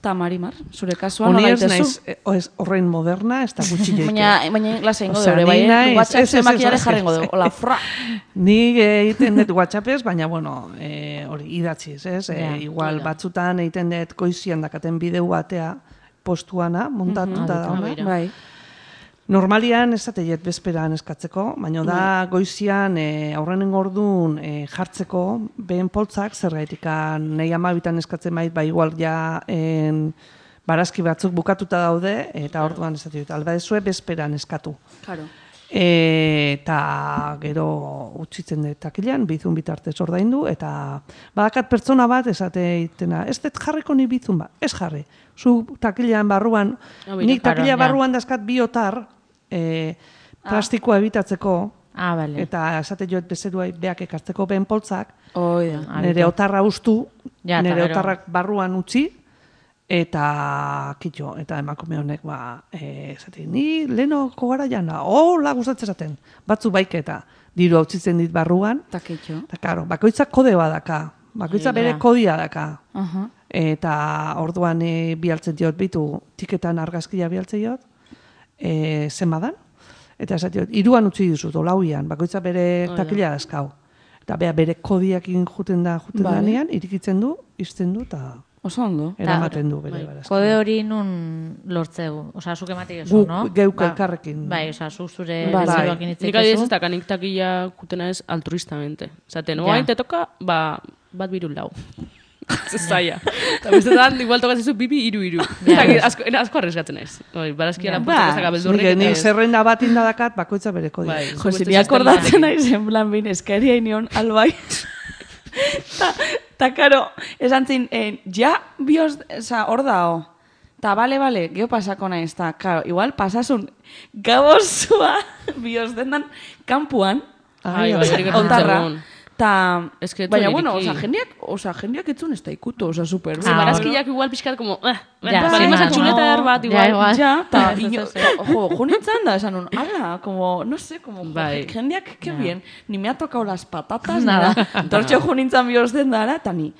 Eta Marimar, zure kasuan nola itezu? Horrein moderna, ez da gutxi joike. Baina klase ingo dugu, bai, WhatsApp zenbakiare jarringo dugu. Hola, fra! Nik egiten dut WhatsAppez, baina, bueno, hori, idatziz, ez? Igual batzutan egiten dut goizian dakaten bideu batea postuana, montatuta dauna. Bai. Normalian ez ateiet bezperan eskatzeko, baina da goizian aurrenen orduan jartzeko behen poltzak, zergaitik nahi 12 eskatzen bait, igual ja barazki batzuk bukatuta daude, eta orduan ez ateiet, alba ezue bezperan eskatu. Claro. Eta gero utzitzen dut takilean, bizun bitartez ordaindu, eta badakat pertsona bat esateitena, ez dut jarriko ni bizun bat, ez jarri. Zu takilean barruan, nik takilea barruan dazkat biotar, plastikoa ebitatzeko, eta esate joet bezeruai beak ekartzeko behen poltzak, nire otarra ustu, nire otarrak barruan utzi, eta kitxo, eta emakume honek, esate, ni lehenoko gara jana, hola gustatzen zaten, batzu baiketa, diru hau txitzen dit barruan, eta kitxo. Eta karo, bakoitzak kode badaka, bakoitzak bere kodia daka, eta orduan bialtzen diot bitu, tiketan argazkia bialtzen diot, zenbadan, eta esatiot, 3an utzi dizut, olauian, bakoitza bere takila dazkau. Eta bere kodiakin juten danean, irikitzen du, izten du, eta eramaten du bere barazkia. Kode hori nun lortzegu? Osa, zuk ematik ezu, no? Geuk elkarrekin. Bai, osa, zuk zure bezeroakin itzik ezu. Nik adibidez ez dakanik takila kutena ez altruistamente. Zaten, oain te toka, bat birun lau. Zaila. Eta bestetan, igual tokazizu pipi, 3. Asko arrezgatzen ez. Barazkia lapurtzak ezak abeldurrik. Nik zerrenda bat indadakat, bakoitza bere kodia. Jose, ni akordatzen nahi zen plan bin, eskaria inion albai. Ta karo, esan zin, ja, bioz, hor dao. Ta bale, geho pasako nahi ez, ta, karo, igual pasasun gabozua bioz dendan kampuan, ontarra. Baina, bueno, jendeak etzun ez da ikutu, super. Barazkiak igual pixkat, como, balimos txuleta erbat, igual. Ta, junintzan da, esan un, ala, como, no sé, como, jendeak, que bien, ni me ha tocado las patatas, nada. Tortxo junintzan bioz den dara, eta ni,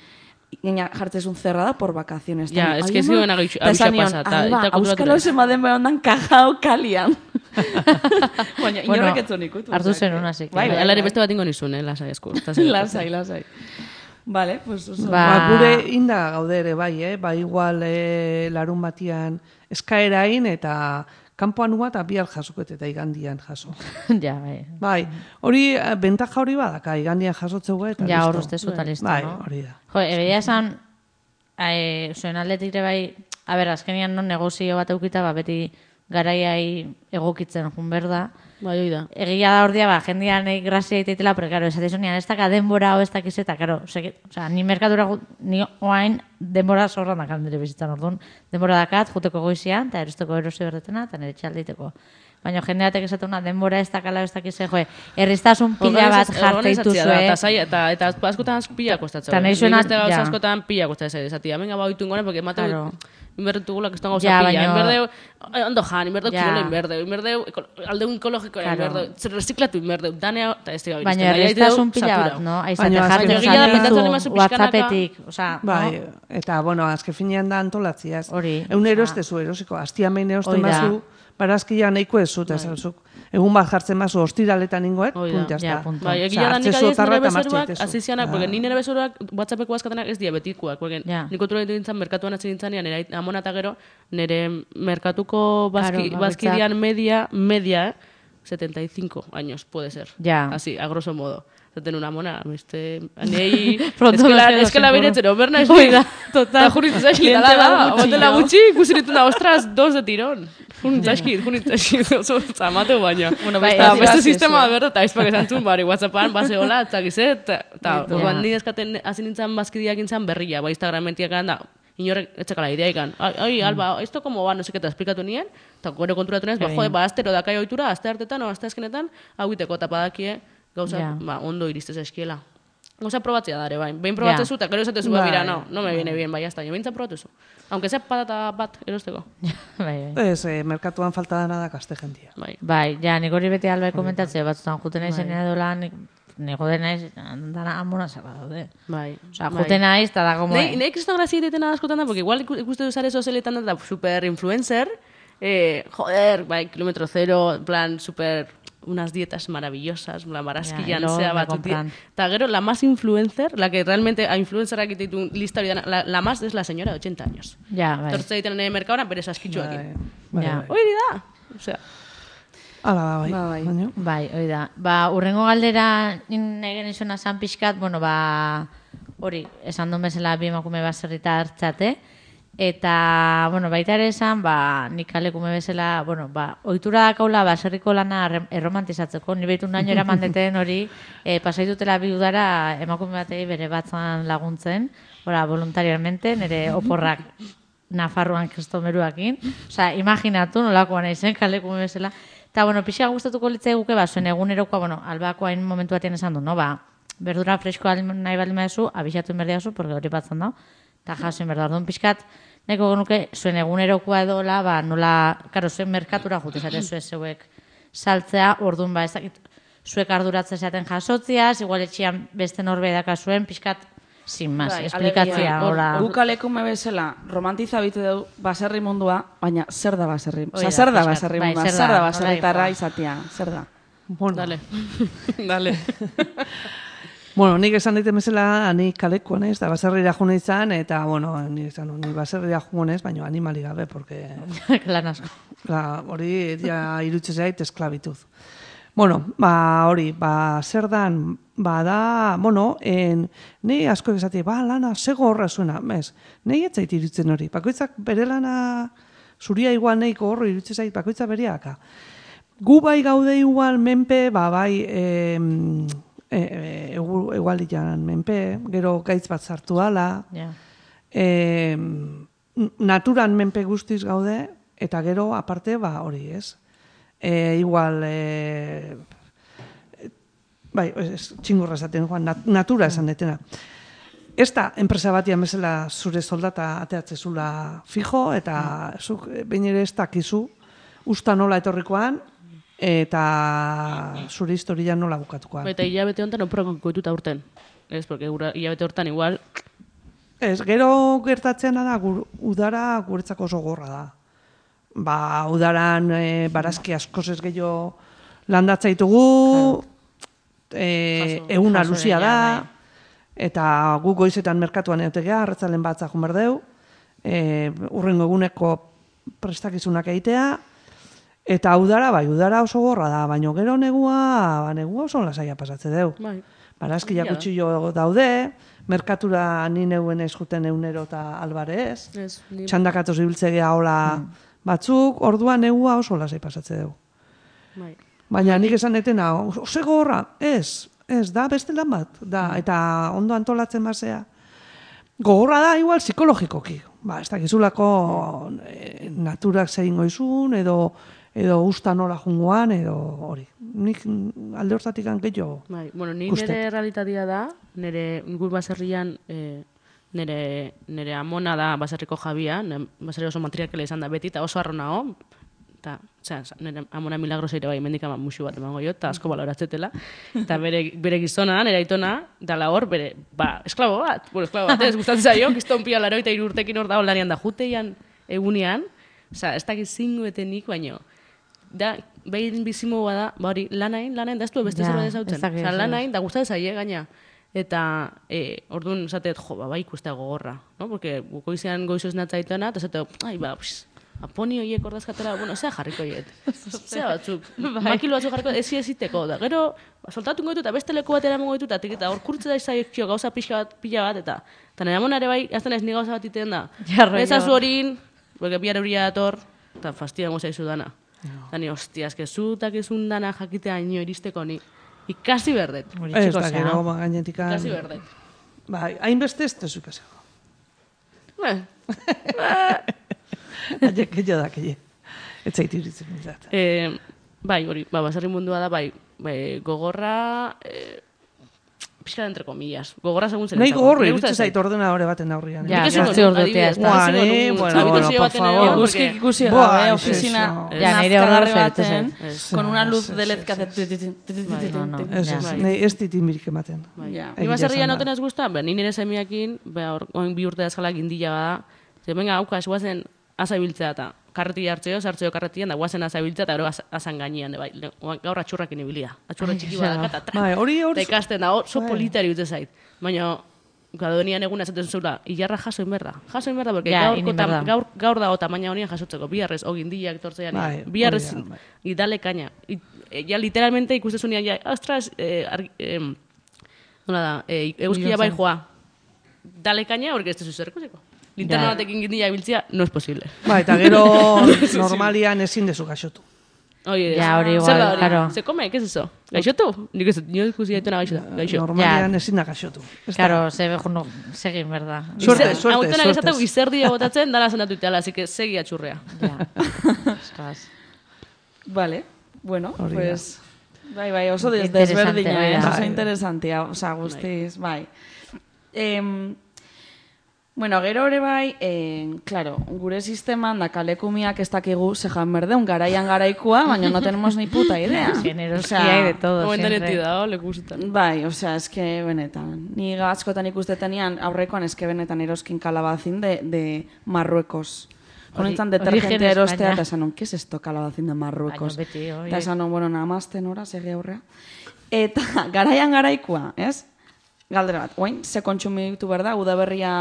gaina jartzezun cerrada por vacaciones. Ja, ez que zioen agitxa pasata. Auskalo zemaden behondan kajao kalian. Baina, inorrek etzun ikutu. Hartu zen una, zik. Alare beste bat ingo nizun, lasai esku. Lasai. Vale, pues oso. Gure inda gaudere, bai, igual larun batian eskaerain eta kanpoan eta bihar jasoket eta igandian jaso. Ja, bai. Bai, hori, bentaja hori badaka, igandian jasotzeu eta listo. Ja, hor uste zuta listo, no? Bai, hori da. Jo, egia esan, zuen aldetik ere bai, azkenian non negozio bat eukita, beti garaiai egokitzen jun berda. Bai, hoi da. Egia da ordia, jendean grazia iteitela, pero claro, esatizunian, ez daka denbora o ez dakizeta, claro, ni merkatura, ni oain denbora zorran dakat nire bizitzan orduan, denbora dakat, juteko goizian, eta erosteko erosi berdetena, eta nire txaldeiteko. Baina jendeatek esatuna denbora ez dakala ez dakize, erriztasun pila bat jarteituzue. Eta askotan pila kostatzen. Eta nahi zuena, ja. Askotan pila kostatzen. Zati, amenga bautu ingoen, porque mate inberdetugula que eston gauza pila. Inberdeu, ondo jan, inberdeu kirola inberdeu, aldeun ekologikoa inberdeu, reziklatu inberdeu, danea, eta ez diga. Baina erriztasun pila bat, no? Aizate jartzen WhatsAppetik. Bai, eta, bueno, azke finean da antolatziaz. Egun erostezu erosiko, hastiamein erosten bazu, barazkia nahiko ez zut, egun bat jartzen bazu, ostiraletan ingoet, puntiazta. Bai, egia da nik adiez nire bezeruak, azizianak, porque ni nire bezeruak WhatsAppeko azkatenak ez diabetikuak, porque nik kontroletu dintzen, merkatuan atzen dintzanean, nire amona eta gero, nire merkatuko bazkidean media, 75 años, puede ser. Así, a grosso modo. Zaten una mona, es que la beretzen, oberna ez da. Total. Eta juritu zaizkit, botela gutxi, ikusiritun da, ostras, 2 de tirón. Juritu zaizkit, oso zamateu baina. Beste sistema berda, eta izpak esan zuen, bari WhatsAppan, base hola, eta gizet, Eta, orduan ni eskaten hasi nintzen bazkideak intzan berria, ba Instagramentiak da, inorrek etxakala idea ikan. Ai, Alba, esto como va, no sé qué te esplikatu nien, eta gero konturatu nez, astero dakai ohitura, aste hartetan o aste azkenetan, hau iteko eta badakie gauza, ondo iristez eskiela. Gauza probatzea dare, bai. Behin probatzezu, eta gero esatezu, mira, no me viene bien, bai, hasta, jo behintzat probatuzu. Aunque sea patata bat erosteko. Ez, merkatuan falta dana da kaste jentia. Bai, ja, nik hori beti Alba komentatzea, batzutan juten naizen edola, nik jode naiz, dana amona zaba daude. Bai. Osa, juten naiz, eta da como... Nei kriston grazia egiten askotan da, porque igual ikuste duzare sozialetan da, super influencer, joder, bai, kilometro zero, en plan, super... unas dietas maravillosas, la marasquillan sea batutia. Eta gero, la más influencer, la que realmente a influencerak ditu lista hori dana, la más es la señora de 80 años. Ja, bai. Tortze egiten nire merkaura, bere saskitxuakin. Ja. Hori da. Osea. Hala, bai. Bai, hori da. Ba, urrengo galdera negen izuna zan pixkat, bueno, ba, hori, esan duen bezala bi emakume baserrita hartzate, eta, bueno, baita ere esan, ba, nik kalekume bezala, bueno, ba, ohitura dakaula baserriko lana erromantizatzeko, ni behitu naino eraman deten hori, pasaitutela bi udara emakume batei bere batzan laguntzen, voluntariamente, nire oporrak Nafarroan kristomeruakin, osea, imaginatu nolakoa nahi zen kalekume bezala, eta, bueno, pixka gustatuko litzai guke, ba, zuen egunerokoa, bueno, Albako hain momentu batean esan du, no, ba, berdura freskoa nahi baldin badezu, abixatu inberdiazu, porque hori batzan da, eta jasoin berda, orduan pixkat, neko genuke, zuen egunerokoa edola, ba, nola, karo, zuen merkatura jutezate zeuek saltzea, orduan, ba, ez dakit, zuek arduratzen zaten jasotziaz, igual etxian beste norbe dakazuen, pixkat, sin más, esplikatzea. Guk alekume bezala, romantiza bitu dugu baserri mundua, baina zer da baserri? Osa, zer da baserri mundua? Zer da baserritarra izatea? Zer da? Bueno, dale. Bueno, nik esan daite bezala, ni kaleko naiz, eta baserrira june izan, eta, bueno, ni baserrira jugonez, baina animali gabe, porque... Lan asko. Hori, ja, irutze zait, esklabituz. Bueno, ba, hori, ba, zer dan, ba, da, bueno, ni asko esati, ba, lana, sego horra zuena, bez, nahi etzait irutzen hori, bakoitzak bere lana, zuria igual nahiko horro irutzen zait, bakoitzak bereaka. Gu bai gaude igual menpe, ba, bai, egualian menpe, gero gaitz bat sartu ala, naturan menpe guztiz gaude, eta gero aparte, ba, hori ez. Igual, bai, txingurra esaten, natura esan detena. Ez da, enpresa batian bezala zure soldata ateatzezula fijo, eta zuk behin ere ez dakizu, usta nola etorrikoan, eta zure historia nola bukatukoan. Eta hilabete honetan oporako goituta urten. Ez, porque hilabete hortan igual... Ez, gero gertatzean da, udara guretzako oso gorra da. Ba, udaran barazki askoz ez gehiago landatzaitugu, eguna luzia da, eta gu goizetan merkatuan egotegea, arratzalen batzak junberdeu, urrengo eguneko prestakizunak egitea, eta udara, bai, udara oso gorra da, baina gero negua oso lasaia pasatze deu. Barazkiak utxillo daude, merkatura ni neuen eskuten eunero eta albarez, txandakatoz ibiltzegea hola batzuk, orduan negua oso lasai pasatze dugu. Baina nik esan etena, osego horra, ez, da beste lan bat, da, eta ondo antolatzen basea. Gogorra da, igual, psikologikoki. Ba, ez dakizulako naturak zein goizun, edo usta nola jungoan, edo hori. Nik alde hortatik gehiago. Bueno, ni nire realitatea da, nire gur baserrian, nire amona da baserriko jabia, baserri oso matriarkela izan da beti, eta oso arronao, eta, nire amona milagros ere bai, mendikama musu bat emango jo, eta asko baloratzetela, eta bere gizona, nire aitona, dala hor, bere, esklabo bat, ez gustatzen zaio, kiston pia laro, eta irurtekin hor da, olanean da, juteian egunean, ez dakiz zinguetenik, baino, da, behin bizimoa da, hori, lanain, da ez du beste zerbait ezautzen, lanain, da gustatzen zaie, gaina, eta orduan esatet, bai ikustea gogorra, no? Porque goizean goizoz natzaitena, eta esateo, aponi horiek ordazkatela, bueno, zea jarriko hiet. Zea batzuk, makilo batzuk jarriko, eziteko, da gero, soltatu goitu eta beste leku batera emango ditu, eta hor kurtze da izaikio gauza pila bat, eta nire amonare bai, azten ez ni gauza bat iten da. Ezazu horin, porque bihar euria dator, eta fastidian gozaizu dana. Eta ni, hostia, eskezu eta kezun dana jakitea ino iristeko ni. Ikasi berdet. Ez da, gero, gainetik. Ikasi berdet. Bai, hainbeste ez tezu ikasiko. Aiek jo da, keie. Ez zaitu iritzen bintzat. Bai, hori, baserri mundua da, bai, gogorra, pixka entre comillas. Gogorra segun zer. Nahi gogorra, irutzen zait ordena hore baten aurrian. Ja, zortzi ordutea ez da. Bueno, por favor. Guzkik ikusi da, ofizina, nazkagarri baten, con una luz de LED que hace... Ez ditin birik ematen. Ni baserrian noten ez guztan, ni nire semiakin, oin bi urte dazkalak indila bada, venga, aukas, guazen azabiltzea eta karreti hartzeo, sartzeo karretian, da guazen azabiltzea eta gero azan gainean, bai, gaur atxurrakin ibilia. Atxurra txiki badaka, eta ikasten da, oso politari utze zait. Baina, gadonian egun ezaten zula, ilarra jasoin berda. Jasoin berda, porque gaur dago tamaina honian jasotzeko, biharrez, ogindilak tortzean, biharrez, idale kaina. Ja, literalmente ikustezunean, ja, ostras, nola da, eguzkia bai joa. Dale kaina, porque ez tezu zerkusiko. Linterna batekin gindila biltzia, no es posible. Ba, eta gero normalian ezin dezu gaixotu. Oye, ja, hori igual, claro. Se come, ¿qué es eso? ¿Gaixotu? Nik ez, nio ikusi daituna gaixo. Normalian ezin da gaixotu. Claro, segin, berda. Suerte. Autonak esateko izerdia botatzen, dala zendatu iteala, así que segi atxurrea. Vale, bueno, pues... Bai, oso desberdina, oso interesantia, oza, guztiz, bai. Bueno, gero hori bai, claro, gure sisteman da kalekumiak ez dakigu zejan berdeun, garaian garaikua, baina no tenemos ni puta idea. Generoskia hay de todo, siempre. siempre. Da, lekusetan. Bai, osea, eske benetan. Ni askotan ikustetenean aurrekoan eske benetan eroskin kalabazin de Marruecos. Honetan detergentea erostea, eta esan, ¿qué es esto kalabazin de Marruecos? Eta esan, bueno, nada más tenora, segi aurrea. Eta garaian garaikua, ez? Galdera bat, oain, ze kontsumitu berda, udaberria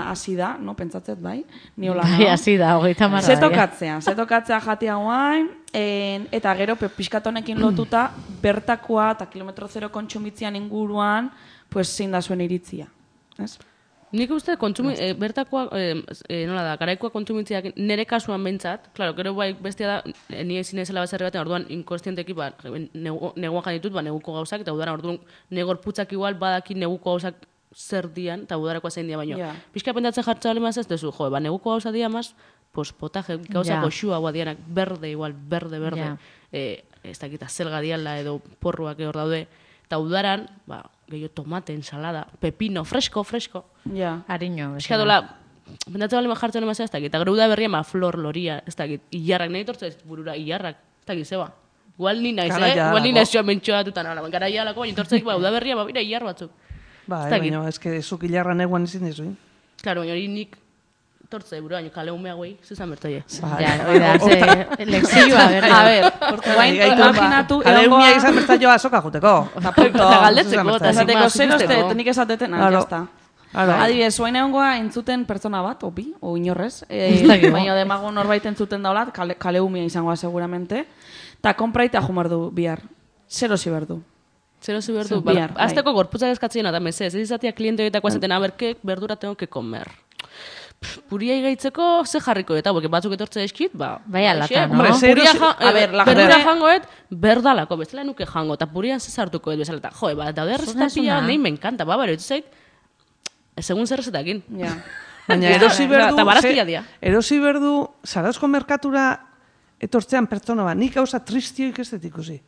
hasi da, no, pentsatzet, bai? Niola, bai, hasi da, 30 Zetokatzea jatia guain, eta gero, pixkatonekin lotuta, bertakoa eta kilometro zero kontsumitzian inguruan, pues, zein da zuen iritzia, ez? Nik uste bertakoa, nola da, garaikoa kontsumitziak nire kasuan bentsat, klaro, gero bai bestia da, ni ezin ezela baserri baten, orduan inkonstienteki, neguan janitut, neguko gauzak, eta udaran orduan negor putzak igual badaki neguko gauzak zer dian, eta udarakoa zein dia baino. Pixka pendatzen jartza balimaz ez dezu, neguko gauza dia maz, pues potaje, gauza goxua guadianak, berde igual, berde. Ez dakita zelga diala edo porruak hor daude, eta udaran, gehiago tomate, ensalada, pepino, fresko. Ja. Ariño. Eska dola, bendatzen bali jartzen emazea ez dakit, eta gero da berria flor loria, ez dakit, ilarrak, nahi tortza ez burura, ilarrak, ez dakit, zeba. Igual ni naiz, igual ni naiz joan mentxoa dutan, gara ialako, baina tortzaik, da berria, bira, ilar batzuk. Baina, ez que zuk ilarra neguan ezin dizuin. Claro, baina hori nik tortza eburu, baina kale humea guai, zuzan bertoie. Ja, oida, lexioa, berda. A ver, guain, imaginatu... Kale humea izan bertaioa azoka juteko. Eta punto. Eta galdetzeko, eta esateko zer oste, tenik esateten, jazta. Adibidez, oain egon goa entzuten pertsona bat, opi, o inorrez, baina demago norbait entzuten daulat, kale humea izangoa seguramente, eta kompraita jumardu bihar. Zero ziberdu. Bihar. Azteko gorputzak eskatzen eta mesez, ez izatea kliente horietako azaten, aberke, berdura tengo que comer. Puria igaitzeko ze jarriko eta, porque batzuk etortze eskit, bai alata, no? Berdura jangoet, berdalako, bezala nuke jango, eta puria zezartuko bezala, eta joe, daude errezeta nahi me encanta, baro, ez zait, segun zer rezetakin. Baina erosi berdu, Zarauzko merkatura etortzean pertsona bat, nik gauza tristioik ez dut ikusi.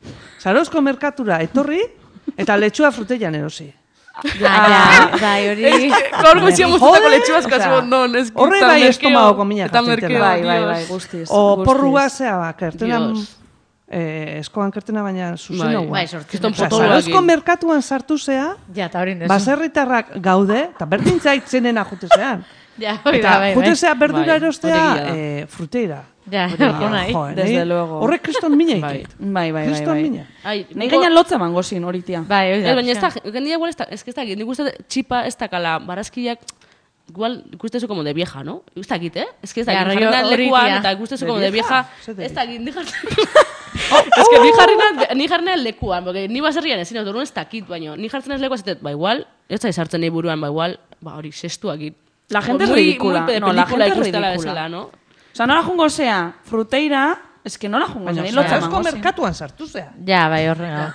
Zarauzko merkatura etorri, eta letxua fruteian erosi. Bai, hori... Gaur guztia guztako letxuazko non, ez horre bai estomagoko minak jartitela. Bai, guztiz. O porrua zea, kertena... Eskoan kertena baina zuzena guan. Bai, sortzen. Zarauzko merkatuan sartu zea, baserritarrak gaude, eta berdin zaitzenen ajute Ja, eta jutezea berdura erostea fruteira. Ja, desde luego. Horrek kriston mina ikit. Bai. Kriston mina. Nahi gainan lotza mango zin horitia. Bai, baina ez da, gendia igual ez da, nik uste txipa ez da kala, barazkiak, igual ikustezu como de vieja, ¿no? Ez da kit, Ez da, jarrena lekuan, eta ikustezu como de vieja, ez da kit, Ez que ni jarrena lekuan, porque ni baserrian ezin autorun ez da kit, baina ni jartzen ez lekuan zetet, igual, ez da izartzen nahi buruan, igual, hori sestuak. La gente es ridícula. No, la gente es ridícula. ¿no? O sea, no la jungo sea fruteira, es que no la jungo. Baina, Zarauzko merkatuan sartu zea. Ja, bai, horrega.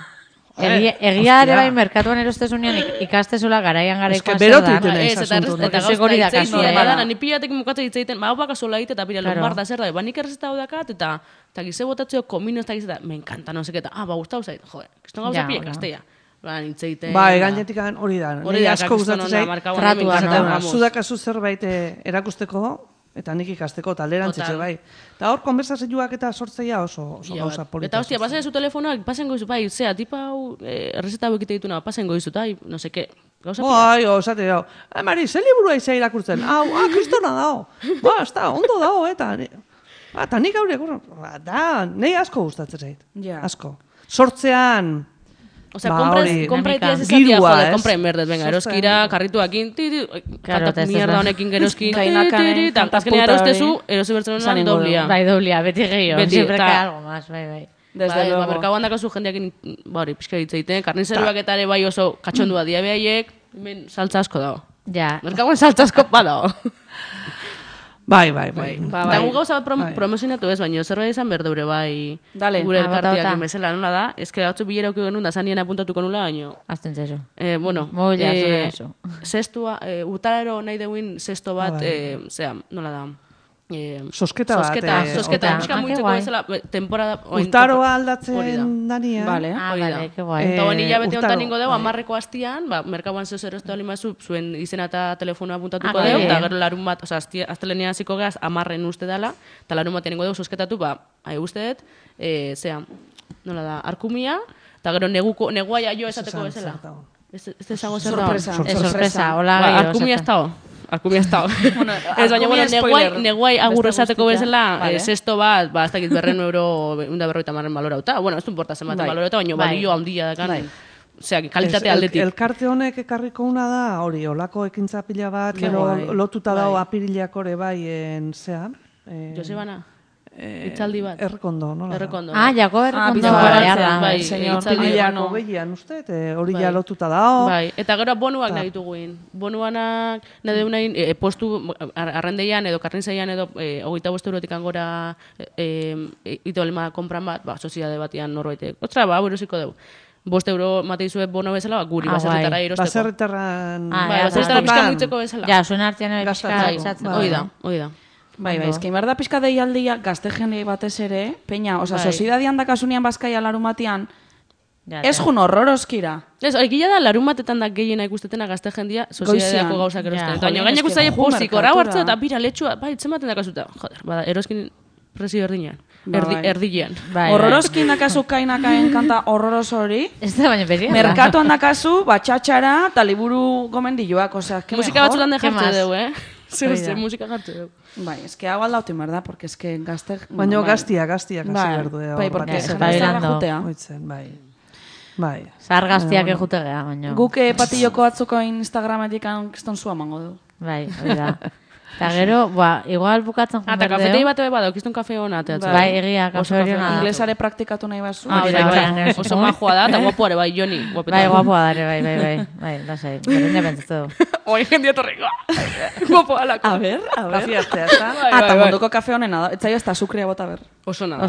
Egia ere bai merkatuan erostezunean ikastezula garaian garaikoa zer da. Berotu iten ez asuntu. Eta gauza itzaiten, badana, ni pilatek mukatzen itzaiten, hau baka sola ite eta pila lombarda zer da, nik errezeta hau dakat, eta gize botatzeo komino ez da gizeta, me encanta, no seketa, ba, gustau zait, jode, kiston gauza pila ikastea. Itzaiten... Ba, gainetik hori da. Hori da, asko gustatzen zait. Tratua, no? Zudakazu zerbait erakusteko, eta nik ikasteko, eta alderantzitze bai. Eta hor, konversazioak eta sortzeia oso gauza polita. Eta hostia, pasen zu telefonoak, pasen goizu, bai, zea, tipa hau, errezeta hau ekite dituna, pasen goizu, tai, no seke, gauza pila. Bai, osate dao. Mari, ze liburua izai irakurtzen? Hau, kristona dao. Ba, ez da, ondo dao, eta... Eta nik haure, da, nahi asko gustatzen zait. Asko. Sortzean... Osea, compra itiaz esatia, jode, compra enberdet, venga, eroskira, karrituakin, kantat mierda honekin geroski, eta azkenea erostezu, erosi bertzen honean doblia. Bai, doblia, beti gehiago, siempre cae algo más, bai. Desde luego. Merkauan dakazu jendeakin, hori, pixka ditzeiten, karnizeruak eta ere bai oso katxondua diabeiek, hemen saltza asko dago. Ja. Merkauan saltza asko badago. Bai. Eta gu gauza bat promozionatu ez, baina zerbait izan berdeure bai gure elkartiak bezala nola da. Ez que batzu bilera auki genuen da zanien apuntatuko nula, baina... Azten zezo. Bueno, sestua, utarero nahi deuin sesto bat, zera, nola da... Sosketa bat. Sosketa. Pixka muitzeko bezala, temporada... Urtaroa aldatzen dania. Vale, que guai. Eta buen hilabete honetan ningo deu, 10ko hastian, merkauan zeu erostu alimazu, zuen izena eta telefonoa apuntatuko deu, eta gero larun bat, oza, aztelenean hasiko geaz, 10 uste dela, eta larun bat ningo deu sosketatu, usteet, zea, nola da, arkumia, eta gero negua jaio esateko bezala. Ez esango zer da. Sorpresa, hola gehiago. Arkumia ez dago. Arkumia ez dago. Ez baina, neguai agur esateko bezala, sesto bat, ez dakit €100, 150 balorauta. Bueno, ez du importa zenbaten balorauta, baina balio handia dakan. Osea, kalitate aldetik. Elkarte honek ekarriko una da, hori, olako ekintza pila bat, lotuta dago apirilak ore bai, zea. Josebana? Itzaldi bat. Errekondo, nola? Errekondo. Jako errekondo. Bai, itzaldiako behian, uste, hori ja lotuta dago. Bai, eta gero bonuak nahi dituguin. Bonuanak nahi duguin, postu arrendeian edo karnizaian edo 25 eurotik angora ito lema kompran bat, soziade batian norbaitek. Ostra, berosiko dugu. 5 euro mateizue bono bezala, guri baserritarra erosteko. Baserritarran... Baserritarra pixka muitzeko bezala. Ja, zuen artean ere pixka itzatzen. Hoi da. Bai, ezkein behar da pixka deialdia gazte jende batez ere, peña, oza, sozidadian dakasunean bazkaia larun batian, ez jun horroroskira. Ez, egila da larun batetan da gehiena ikustetena gazte jendia sozidadiako gauzak erosten. Baina gainak uzaile pozik, horra hartza eta bira letxua, bai, zenbaten dakasuta. Joder, bada, eroskin presio erdinean. Erdilean. Horroroskin dakazu kainakaen kanta horroros hori. Ez da baina beria. Merkatuan dakazu, batxatxara, eta liburu gomendilloak, osea, que musika batzutan dejartze dugu, Zer musika jartze dugu. Bai, eske hau aldauti merda, porque eske gazte... Baina gaztiak hasi berdu. Bai, porque zerrezara jutea. Bai. Zahar gaztiak ejute geha, baina... Guk patilloko batzuko Instagrametik kiston zua mango du. Bai, hori da. Eta gero, igual bukatzen jundar deo. Eta kafetei bat eba dau, kiston kafe hona. Bai, egia, kafe hori hona. Inglesare praktikatu nahi bazu. Oso majua da, eta guapuare, bai, Joni. Bai, guapua dare, bai, lasai. Berdin pentsatu du. Oi, jendia torriko. Guapua lako. A ver. Kafe hartzea, ez da? Eta munduko kafe honena da. Etzaio ez da sukria bota ber. Oso nada,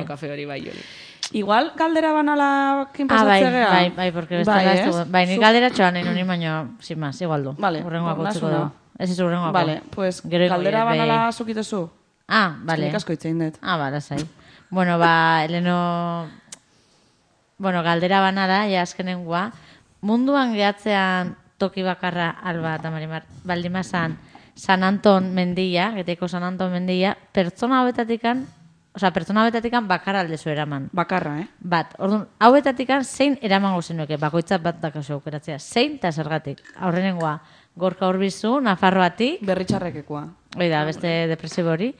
kafe hori, bai, Joni. Igual galdera banala kinpasatzea geha? Bai, porque bestela ez dugu. Bai, ni galdera txoan nahi nuni, baina, sin más, igual du. Vale, urrengoako utziko du. Ez ez urrengoako. Vale, pues galdera banala zukitezu. Vale. Nik asko itzein dut. Bala, zai. Bueno, Eleno... Bueno, galdera banala, ja azkenengoa. Munduan gehatzean toki bakarra Alba eta Marimar Baldimazan San Anton mendia, geteko San Anton mendia, pertsona hauetatikan bakarra aldezu eraman. Bakarra, Bat, orduan, hauetatikan zein eramango zenueke, bakoitzat bat dakazu aukeratzea. Zein eta zergatik. Aurrenengoa, Gorka Urbizu, Nafarroatik. Berritxarrekekoa. Oida, beste depresibo hori.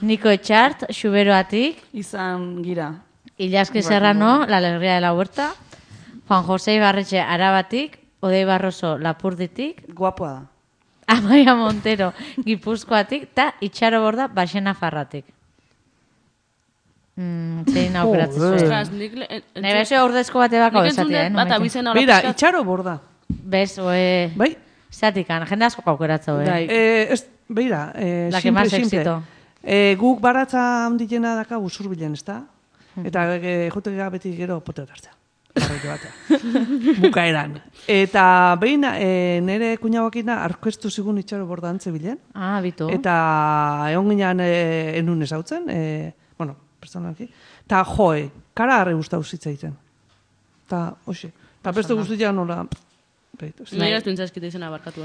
Niko Etxart, Xuberoatik. Izan gira. Ilaski Serrano, La Alegría de la Huerta. Juan José Ibarretxe, Arabatik. Odei Barroso, Lapurditik. Guapoa da. Amaia Montero, Gipuzkoatik. Ta Itxaro Borda, Baxena Farratik. Zein aukeratzen zuen. Ostras, nahi bezu aurdezko bate bako esatia, Mira, Itxaro Borda. Bez, bai? Zatikan, jende asko aukeratzen, Beira, simple. Guk baratza handiena daka Usurbilen, ez da? Eta jotekega beti gero poteo hartzea. parrete batean. Bukaeran. Eta behin nire kuñabakina arkestu zigun itxaro bordantze bilen. Bitu. Eta egon ginean enun ezautzen, bueno, personalki. Ta kara harre guztau zitzaiten. Ta, hoxe. Ta beste guztiak nola... Nahi gaztu intzazkita izena barkatu,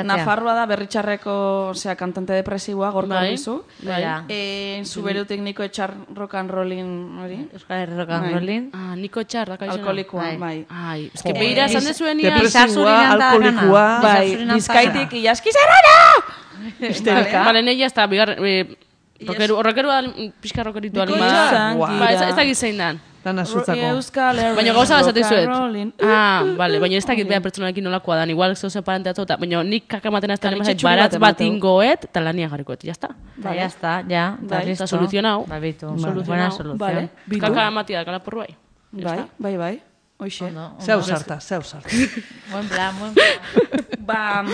Nafarroa da berritxarreko kantante depresiboa, gorka bizu. Zuberu tekniko etxar rock and rollin, hori? Euskal rock and rollin. Niko etxar, daka izena. Alkoholikoa, bai. Ez que behira esan dezuen nian. Depresiboa, alkoholikoa. Bai, bizkaitik iaskizerana! Bale, neia ez da, bigar... Horrekerua, pixka rockeritu alima. Ez da gizein dan. Dana zutzako. Baina gauza bazate zuet. Bale, baina ez dakit beha pertsonalekin nolakoa dan. Igual zeu separante atzota. Baina nik kakamaten azten emazait baratz bat ingoet, eta lania jarrikoet, jazta? Jazta, ja. Eta soluzionau. Bitu, buena soluzion. Kakamatia, kalaporru bai. Bai. Hoxe. Zeu sarta. Buen plan.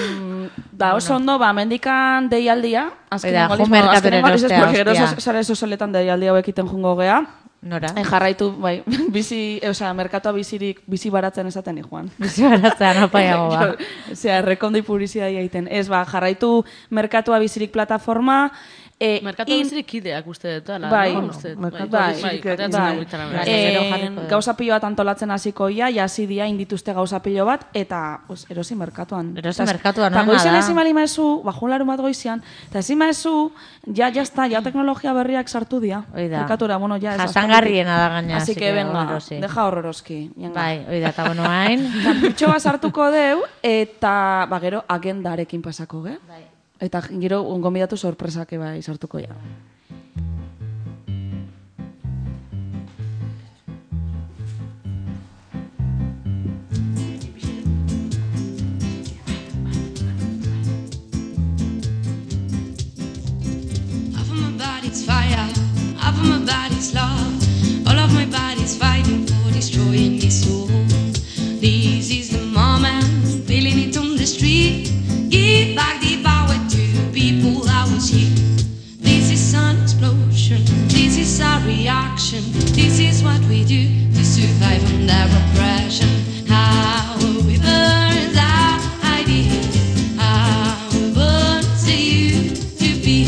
Oso ondo, mendikan deialdia. Jo merkaturen ostea. Gero sare sozialetan deialdia hauekiten jungo gea. Nora? Jarraitu, bai, merkatua bizi baratzen esaten joan. Bizi baratzen, apaiago ba. Rekondi publizidadia egiten. Ez, jarraitu merkatua bizirik plataforma. Merkatua bizirik ideak uste dut, bai. Gauza pilo bat antolatzen hasiko ia, jasi dia indituzte gauza pilo bat, eta erosi merkatuan. Erosi merkatuan, no? Eta goizien ezin bali maezu, junlarun bat goizian, eta ezin maezu, ja teknologia berriak sartu dia. Merkatura, bueno, ja ez. Jasangarriena da gaina. Así que venga, deja horroroski. Bai, oida, eta bueno, hain. Kapritxo bat sartuko deu, eta gero agendarekin pasako, ge? Bai. Eta gero gonbidatu sorpresak bai sartuko ja. Half of my body's fire, half of my body's love. All of my body's fighting for destroying this soul. This is the moment, feeling it on the street. Give back the power to people that was here. This is an explosion, this is our reaction. This is what we do to survive under oppression. How we burn our ideas, how we burn to you to be.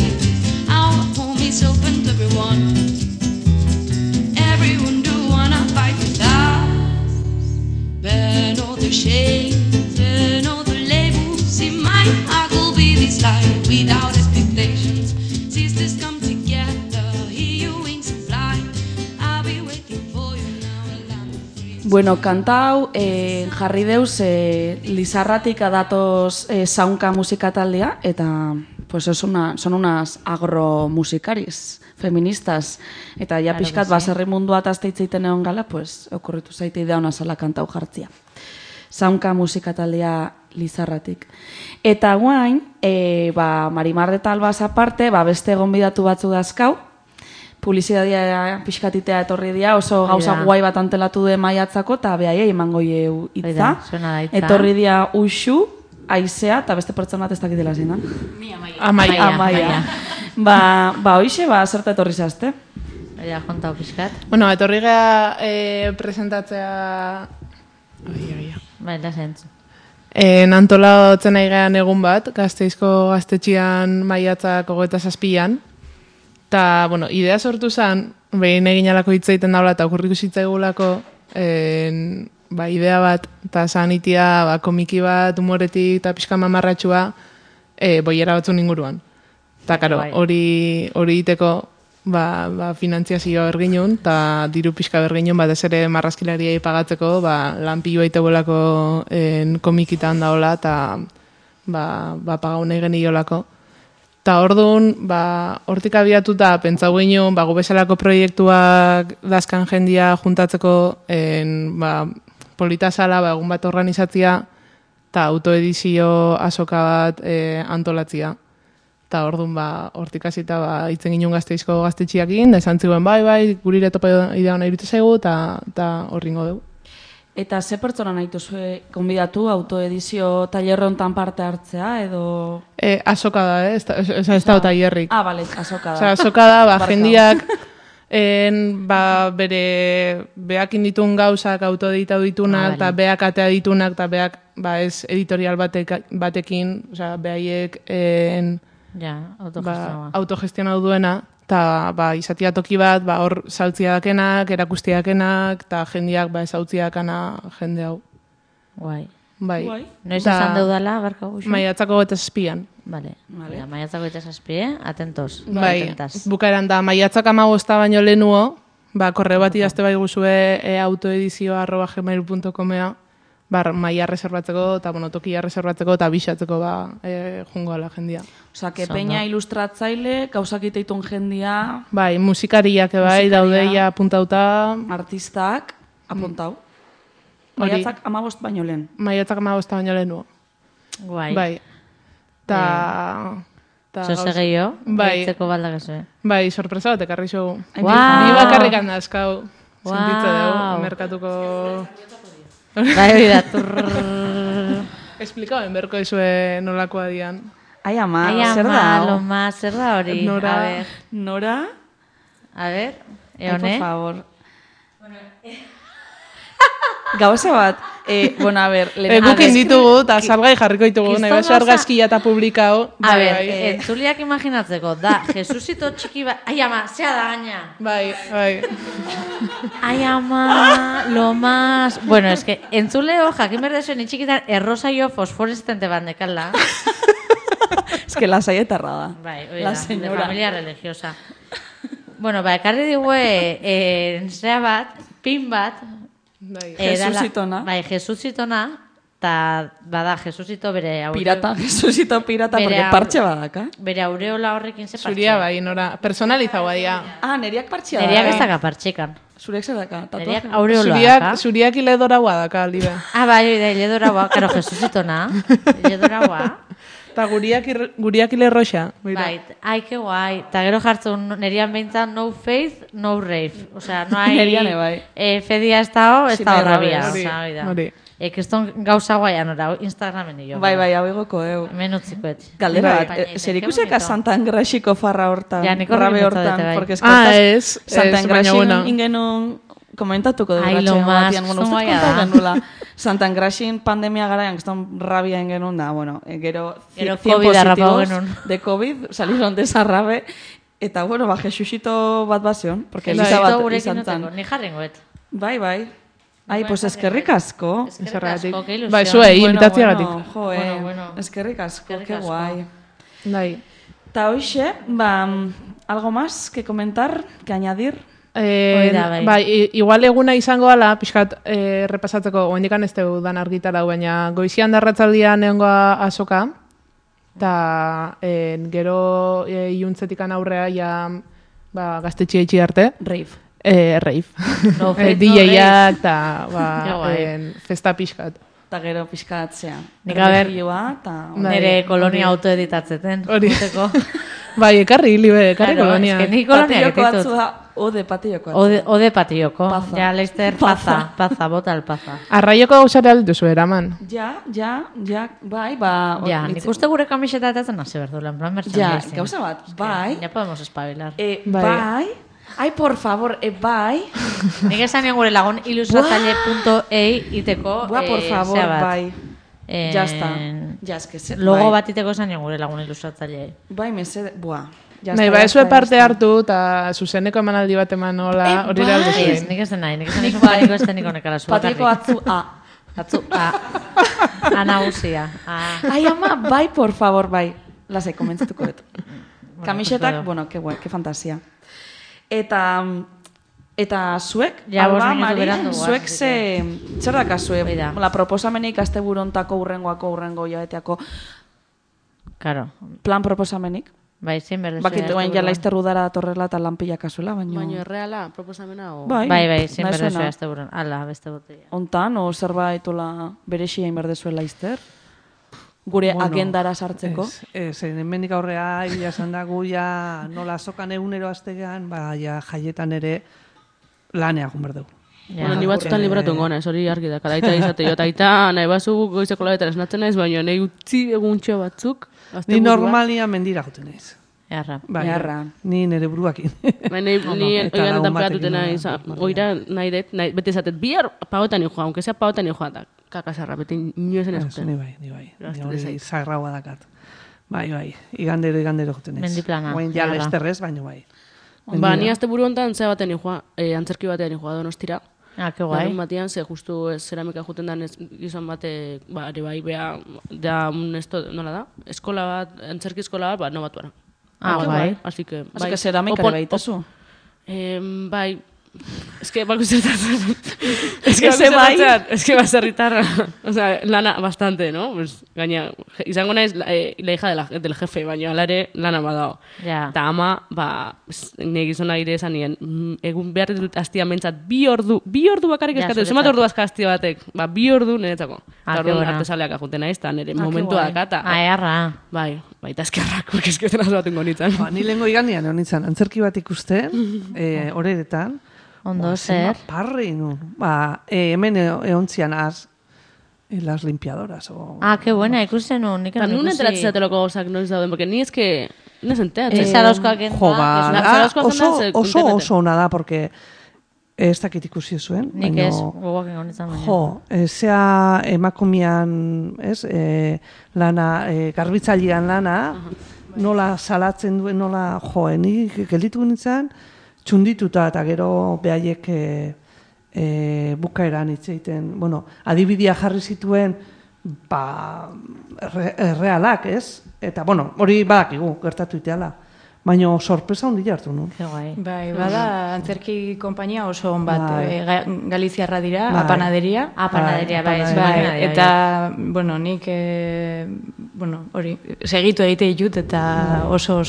Our home is open to everyone. Everyone do wanna fight with us. Burn all the shame, burn all the labels. In my heart will be this light without expectations. Sisters come together, hear your wings and fly. I'll be waiting for you now, a land of free. Bueno, kantau jarri deuz Lizarratik adatoz zaunka musika taldea, eta pues son unas agromusikaris feministas, eta ja pixkat baserri mundua tazteitzeiten egon gala, pues okurritu zaite idea ona zala kantau jartzia. Zaunka musika taldea Lizarratik. Eta guain, Marimar de Talbaz aparte, beste gonbidatu batzu dazkau, publizidadia pixkatitea etorri dia, oso gauza guai bat antelatu de maiatzako, eta behaiei emango ieu itza. Etorri dia Uxu, Aizea, eta beste pertsona bat ez dakitela zinan. Amaia. Hoixe, zerta etorri zazte? Ja, jontau pixkat. Bueno, etorri geha presentatzea... Baila zentzu. Antolatzen nahi gehan egun bat, Gasteizko gaztetxian maiatzak 27an. Eta, bueno, idea sortu zen, behin egin alako hitzaiten daula eta okurriku zitzaigulako idea bat, eta zanitia komiki bat, humoretik eta pixka mamarratxua boiera batzun inguruan. Eta, karo, hori iteko finantziazio erginun, eta diru pixka berginun, batez ere marrazkilariai pagatzeko, lan pilo aitebolako komikitan daola, eta pagau nahi geniolako. Eta orduan, hortik abiatuta, pentsau ginen, gu bezalako proiektuak dazkan jendia juntatzeko polita zala, egun bat organizatzia, eta autoedizio azoka bat antolatzia. Eta orduan, hortik azita, itzen ginen Gasteizko gaztetxiakin, da esan ziguen, gurire topa idea hona irute zaigu, eta horringo dugu. Eta ze pertsona nahi duzue konbidatu autoedizio tailerrontan parte hartzea, edo... Azoka da, ez da tailerrik. Bale, azoka da. Azoka da, jendiak beakin ditun gauzak autoeditatu ditunak, eta beak atea ditunak, eta beak ez editorial batekin, behaiek autogestionatu duena, eta izatia toki bat, hor saltzia dakenak, erakustia dakenak, eta jendeak ezautziakana jende hau. Guai. Bai. Noiz esan deudala, barka guxu? Maiatzako 27an. Vale. Maiatzako 27, atentos. Bai, bukaeran da, maiatzak 15 baino lehenuo, korreo bat idazte bai guzue autoedizio@gmail.com-ea, maia reservatzeko, eta tokia reservatzeko, eta bisatzeko jungo ala jendia. Osa, que peña ilustratzaile, gauzak iteitun jendia... Bai, musikariak daudeia apuntauta... Artistak, apuntau. Maiatzak 15 baino lehen. Maiatzak 15 baino lehen. Guai. Bai. Zose gehiago, gaitzeko baldak ez. Bai, sorpresa bat ekarri zogu. Ni bakarrik handazkau. Sentitze dugu, merkatuko... Bai, hori da, Esplikauen berko izue nolakoa dian. Ai, ama, zer da? Loma, zer da hori? Nora? A ver, eone? Por favor. Gauza bat, a ver... Gukin ditugu, eta salgai jarriko ditugu, nahi baso argazkia eta publikao. A ver, entzuliak imaginatzeko, da, Jesusito txiki bat... Ai, ama, zea da gaina. Bai. Ai, ama, lo más... Bueno, es que entzuleo jakin berdezuen itxikitan errosaio fosforestente bat nekala. Es que la saietarra da. Bai, oida, de familia religiosa. Bueno, ekarri digue, zea bat, pin bat... Jesusitona. Bai, Jesusitona, eta bada Jesusito bere aureola. Jesusito pirata, porque partxe badaka. Bere aureola horrekin ze partxe. Zuria bai, nora, personalizagoa dia. Neriak partxea da. Neriak ez daka partxekan. Zuriak zer daka. Neriak aureola daka. Zuriak iledoragoa daka, aldibe. Bai, iledoragoa, karo Jesusitona. Iledoragoa. Eta guriak ilerroxa. Bai, ai, que guai. Eta gero jartzen nerian behintzan no faith, no rave. Osea, no hai... Neriane bai. Fedia ez da horrabia. Hori. Ekeston gauza guaian ora, Instagramen nio. Bai, hau egoko eu. Hemen utzikoet. Galdera bat, zer ikuseka Santa Engrasiko farra hortan, rabe hortan, porque ez, Santa Engrasin ingenun komentatuko dugu ratxean batian, bueno, Santa Engrasin pandemia garaian, geston rabia ingenun da, bueno, gero 100 positivos de COVID, salieron de esa rabe, eta, bueno, Jesusito bat bazion, porque Elisa bat izan zan. Ni jarrengoet. Bai. Ai, pues eskerrik asko. Que ilusión. Bai, zuei, invitaziagatik. Eskerrik asko, que guai. Bai. Ta hoxe, algo más que comentar, que añadir? Bai, igual eguna izango ala, pixkat repasatzeko, oendikan ez deudan argitara, baina goizian darratzaldian egongoa azoka, eta gero iuntzetikan aurrea ja gaztetxia itxi arte. Rave. Rave. DJ-ak eta festa pixkat. Eta gero pixkat zean. Nik haber, nire kolonia autoeditatzeten. Hori. Bai, ekarri kolonia. Ni kolonia getitut. Ode patioko. Ode patioko. Ja, Leister, paza, bota el paza. Arraioko gauzare alduzu eraman. Ja, bai, Ja, nik uste gure kamiseta etatzen hasi berdula, en plan merchandising. Ja, gauza bat, bai. Ja podemos espabilar. Bai. Ai, por favor, bai. Nik esan gure lagun ilustratzaile.ei iteko. Por favor, bai. Ya está. Ja, eske logo bat iteko esan gure lagun ilustratzaile. Bai, mesede, Nahi, ezue parte hartu, eta zuzeneko emanaldi bat eman nola, hori da aldo zuen. Nik esan nahi, nik esan nahi patiko esteniko nekala zua. Patiko atzu A. Atzu A. Anauzia. Ai, ama, bai, por favor, bai. Lasai, komentzatuko dut. Kamisetak, bueno, que guai, que fantasia. Eta zuek, Alba, Mari, zuek zer dakazue? La proposamenik azte burontako urrengo jabeteako. Claro. Plan proposamenik? Bai, zein berdezue. Bakitu gain jala izterrudara torrela eta lanpillak azuela, baina... Baina erreala, proposamena o... Bai, zein berdezue azte buron. Ala, beste botella. Ontan, o zerbaitola berexia inberdezuela izter? Gure agendara sartzeko? Zein mendik aurrea, egia esan da guia nola sokan egunero aztegean, jaietan ere lanea gumberdeu. Bueno, ni batzutan libratu ngona, hori argi da, kadaita izate jo, eta nahi bazu goizeko labetan esnatzen naiz, baina nahi utzi eguntxo batzuk. Ni normalia mendira goten naiz. Earra. Earra. Ni nire buruakin. Ni oian tanperatutena oira nahi dut, beti esatet, bihar pagotan joa, aunque sea pagotan joa, eta kakasarra, beti inoezen esuten. Ni bai. Hori sagraua dakat. Bai. Igandero joten ez. Mendiplana. Oin ja lesterrez, baino bai. Ba, ni azte buru hontan zea batean joa, antzerki batean joa Donostira. Ah, que guai. Larun batean, ze justu zeramika juten dan gizon bate, ere bai, bea, da, nola da? Eskola bat, antzerki eskola bat, no batuara. Ah, bai. Así que, bai. Así que zeramika ere baitazu. Bai, es que balko zertatzen. Es que baserritarra. O sea, lana bastante, ¿no? Pues, gaina, izango naiz la hija del jefe, baina alare lana badao. Ja. Ta ama, nire gizona gire esan nien, egun behar dut astia mentzat, bi ordu bakarrik eskatu, zemat ordu azka astia batek, 2 ordu niretzako. Eta orduan artesaleak ajuten naiz, eta nire momentua dakata. Earra. Bai, eta eskerrak, porque esketan azbaten gonitzen. Ni lehenko igandian honitzen, antzerki bat ikusten, horeretan, Ondo zer. Parri nun. Hemen eontzian las limpiadoras. Ah, qué buena, ikusten nun. Eta nun enteratzen zateloko gauzak noiz dauden, porque ni eske, nes enteratzen. Zarauzkoak enda. Oso ona da, porque ez dakit ikusi zuen. Nik ez, gogoak ingonitzen baina. Zea emakumian, lana, garbitzailean lana, nola salatzen duen, nola nik gelditu nintzen, txundituta eta gero behaiek bukaeran hitz egiten, adibidea jarri zituen realak, ez? Eta, hori badakigu, gertatu iteala. Baina sorpresa hundi hartu nun. Bai, bada, antzerki konpainia oso on bat, Galiziarra dira, apanaderia. Apanaderia, bai. Eta, nik, hori, segitu egite ditut, eta oso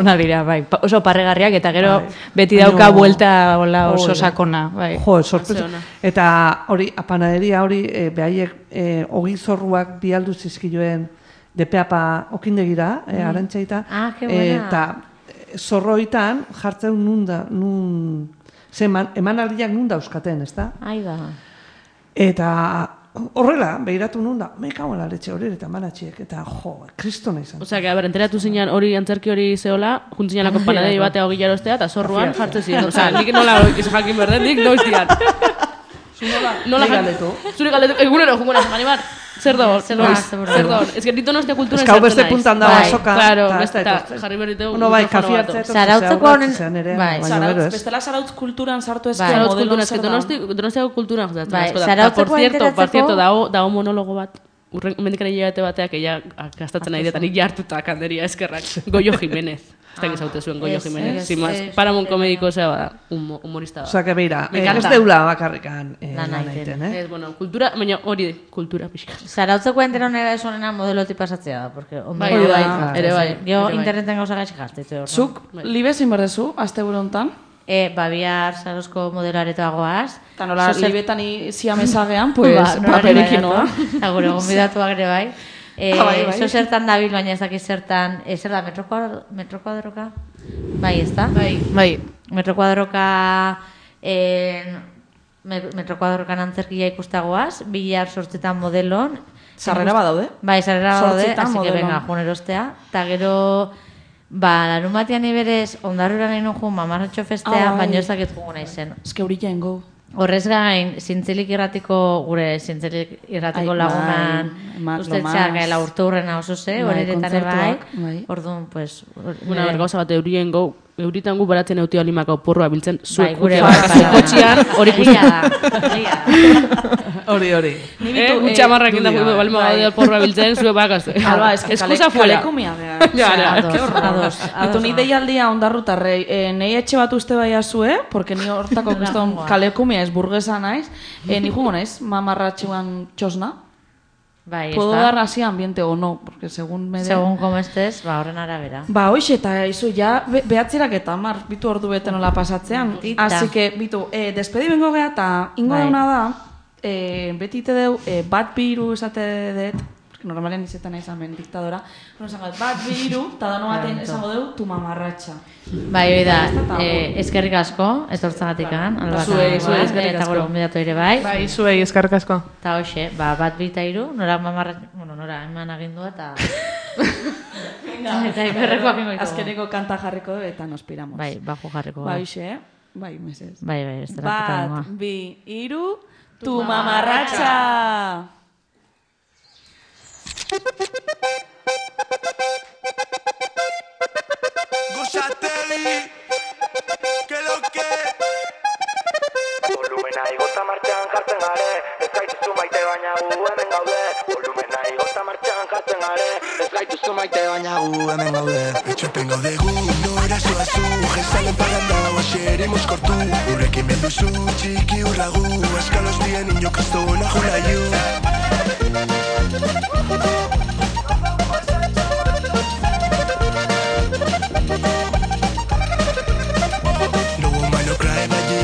ona dira, bai. Oso parregarriak, eta gero beti dauka buelta oso sakona, bai. Sorpresa. Eta hori, apanaderia hori, behaiek ogizorruak bialdu zizkioen depeapa okindegira, arantxaita, eta zorroitan jartzen emanaldiak nun dauzkaten, ez da? Aida. Eta horrela, behiratu nun da, mekago laletxe hori eta manatxiek, eta kristona izan. Osea, que, enteratu zinean hori antzerki hori zehola, juntzineanako panadei batea hogila erostea, eta zorruan jartzen ziren. Osea, nik nola jakin berden, nik noiz dian. Nola galdetu? Zure galdetu, egunero, jungona, manibar. Zer da hor? Ez que ditu nostia kultura esartzen naiz. Ez beste puntan da basoka. Claro, eta jarri berriteu. Kafi hartzea. Zarautzeko honen... Bestela Zarautz kulturan sartu ezko modelo zer da. Donostiako kulturan jatzen. Por cierto, dago monologo bat. Mendikaren hilabete bateak, ella gastatzen nahi detan, jartuta kanderia eskerrak. Goio Jimenez. Ez da gizaute zuen Goio Jimenez. Paramount komediko zea bada, humorista da. Osa, que beira, ez deula bakarrikan lan egiten, Ez, kultura, baina hori kultura pixka. Zarautzeko enteron era esonena modeloti pasatzea da, porque bai, ere bai. Geo interneten gauza gaitxik jartitzu. Zuk, libe zin berdezu, azte burontan? Bihar Zarauzko modelaretoa goaz. Eta nola, libetan ziamezagean, pues, paperekin noa. Eta gure gombidatuak ere bai. Zo zertan dabil, baina ez dakiz zertan, zer da, metrokuadroka? Bai, ez da? Bai. Metrokuadrokan antzerkia ikustagoaz, bihar 8 modelon. Sarrera badaude? Bai, sarrera badaude, así que venga, jun erostea. Eta gero, larun batean iberez, ondarrura nahi nun jun, mamarratxo festea, baina ez dakit jugu nahi zen. Ez que hori jaingo. Horrez gain, Zintzilik irratiko lagunan ustetxea gaela urte hurrena oso ze, hori eretane bai. Orduan, pues... Una bergauza bat euritan gu baratzen euti olimako porroa biltzen, zuek gure kotxian hori guztia. Hori. Gutxa marrak indago balima bat porroa biltzen, zuek bakazte. Alba, ez que kalekumia behar. Ados. Eto ni deialdia ondarrutarrei, nahi etxe bat uste bai azue, porque ni hortako guztan kalekumia ez burguesa naiz, ni jungo naiz, mamarratxuan txosna. Puedo dar así ambiente o no, porque según como estés, horren arabera. Hoxe, eta izu, ja, behatzerak eta bitu ordu bete nola pasatzean. Así que, bitu, despedi bengo geha, eta ingo dauna da, beti ite deu, bat biru esate dut, porque normalen izetan izan ben diktadora, bat biru, eta dano baten esango deu, tu mamarratxa. Bai, da, eskerrik asko, ez hortzagatikan, zuei eskerrik asko. Eta gure gombidatu ere bai. Bai, zuei eskerrik asko. Eta hoxe, bat bita iru, nora mamarratxa, nora eman agindua, eta Eta iberrekoak ingo ditugu. Azkeneko kanta jarriko eta nos piramos. Bai, bajo jarriko. Bai, xe, bai, mesez. Bai, ez dela puta. 1, 2, 3, tu mamarratxa! Gozateli, que lo que volumena igota martxan jartzen gare, ez gaituzu maite baina gu hemen gaude. Volumena igota martxan jartzen gare, ez gaituzu maite baina gu hemen gaude. Etxepen gaude gu, nora zoazu, jezalen paranda, oaxeremos kortu. Urrekin belduzu, txiki urragu, eskalos dien niño kristona julaiu.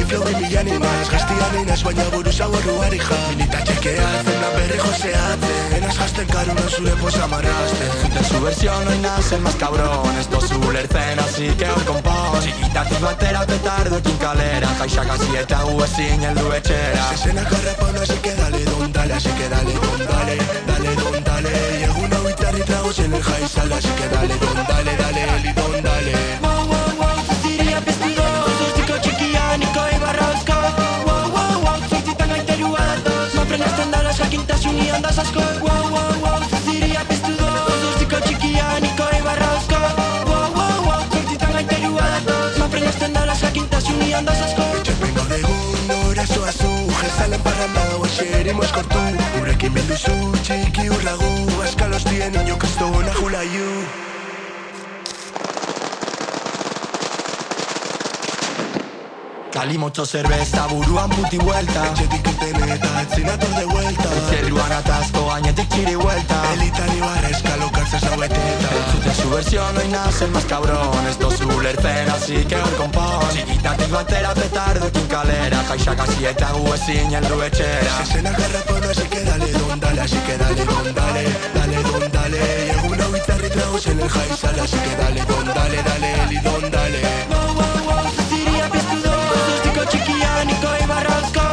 Flow de millan más, gaztian inaz baina buruz agorru harija. Milita txekeatzen da berri joseatzen, enaz jazten karuna zure posa marrazten. De su versión hoy nace el más cabrón, esto es ulertzen, así que hoy compón. Txikitatik batera petardoekin kalera, jaixak hasi eta gu ezin heldu etxera. Zezenak harrapana, así que dale don dale, así que dale don dale, dale don dale. Y egun hau itzarri tragos en el jaizal, así que dale don dale, dale eli don dale. Wow, wow, wow, zuziria pestido, zuziko txikianiko ibarrauzko. Wow, wow, wow, zuzitan gaiterua datoz, mafrenazten dala jakintasunean da asko. Wow, wow, wow, zuziria pestido, zuziko txikianiko ibarrauzko. Wow, wow, wow, zuzitan gaiterua datoz, mafrenazten dala jakintasunean da asko. Etxepen gaude gun, nora zoazu, jezalen parranda, oaxeremos kortu. Urrekin belduzu, txiki urragu, askalos dien niño kristona julaiu. Cali mucho cerveza, buruan puti vuelta. Etxetik eten eta etzinator de vuelta. Zerruan atazko gainetik txiri vuelta. Elitan ibarra eskalo kartzaz haueteta. De su versión hoy nace el más cabrón, esto es ulertzen, así que hoy compón. Txikitatik batera petardoekin kalera, jaixak hasi eta gu ezin heldu etxera. Zezenak harrapana, así que dale don dale, así que dale don dale, dale don dale. Y egun hau itzarri tragos en el jaizal, así que dale don dale, dale eli don dale. Wow, wow, wow, zuziria piztudo, zuztiko txikianiko ibarrauzko.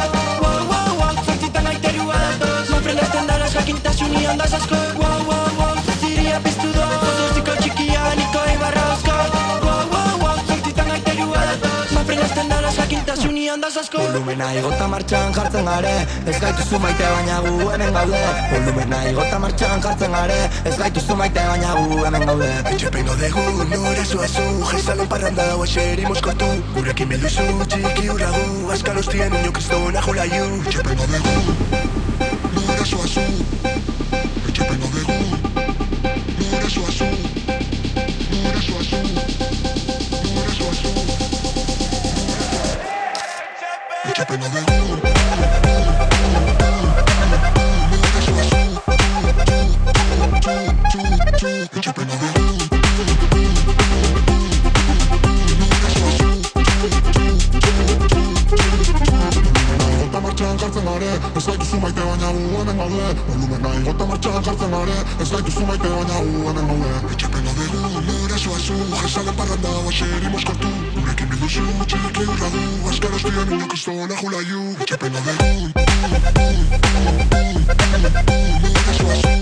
Wow, wow, wow, zortzitan gaiterua datoz, mafrenazten dala jakintasunean da asko. Wow, wow, wow, zuziria piztudo, zuztiko txikianiko ibarrauzko. Wow, wow, wow, zortzitan gaiterua datoz, mafrenazten dala jakintasunean da asko. Volumena igota martxan jartzen gare, ez gaituzu maite baina gu hemen gaude. Volumena igota martxan jartzen gare, ez gaituzu maite baina gu hemen gaude. Etxepen gaude gu, nora zoazu, jezalen parranda, oaxeremos kortu. Gurekin belduzu, txiki urragu, askalos dien niño kristona julaiu. Etxepen gaude gu, nora zoazu. Etxepen gaude gu, nora zoazu. Nora zoazu, nora zoazu. Etxepen gaude gu. Ez gaituzu maite baina gu hemen gaude. Volumena igota martxan jartzen gare, ez gaituzu maite baina gu hemen gaude. Etxepen gaude gu, nora zoazu, jezalen parranda, oaxeremos kortu. Gurekin bilduzu, txiki urragu, askaros dien niño kristona julaiu. Etxepen gaude gu, nora zoazu.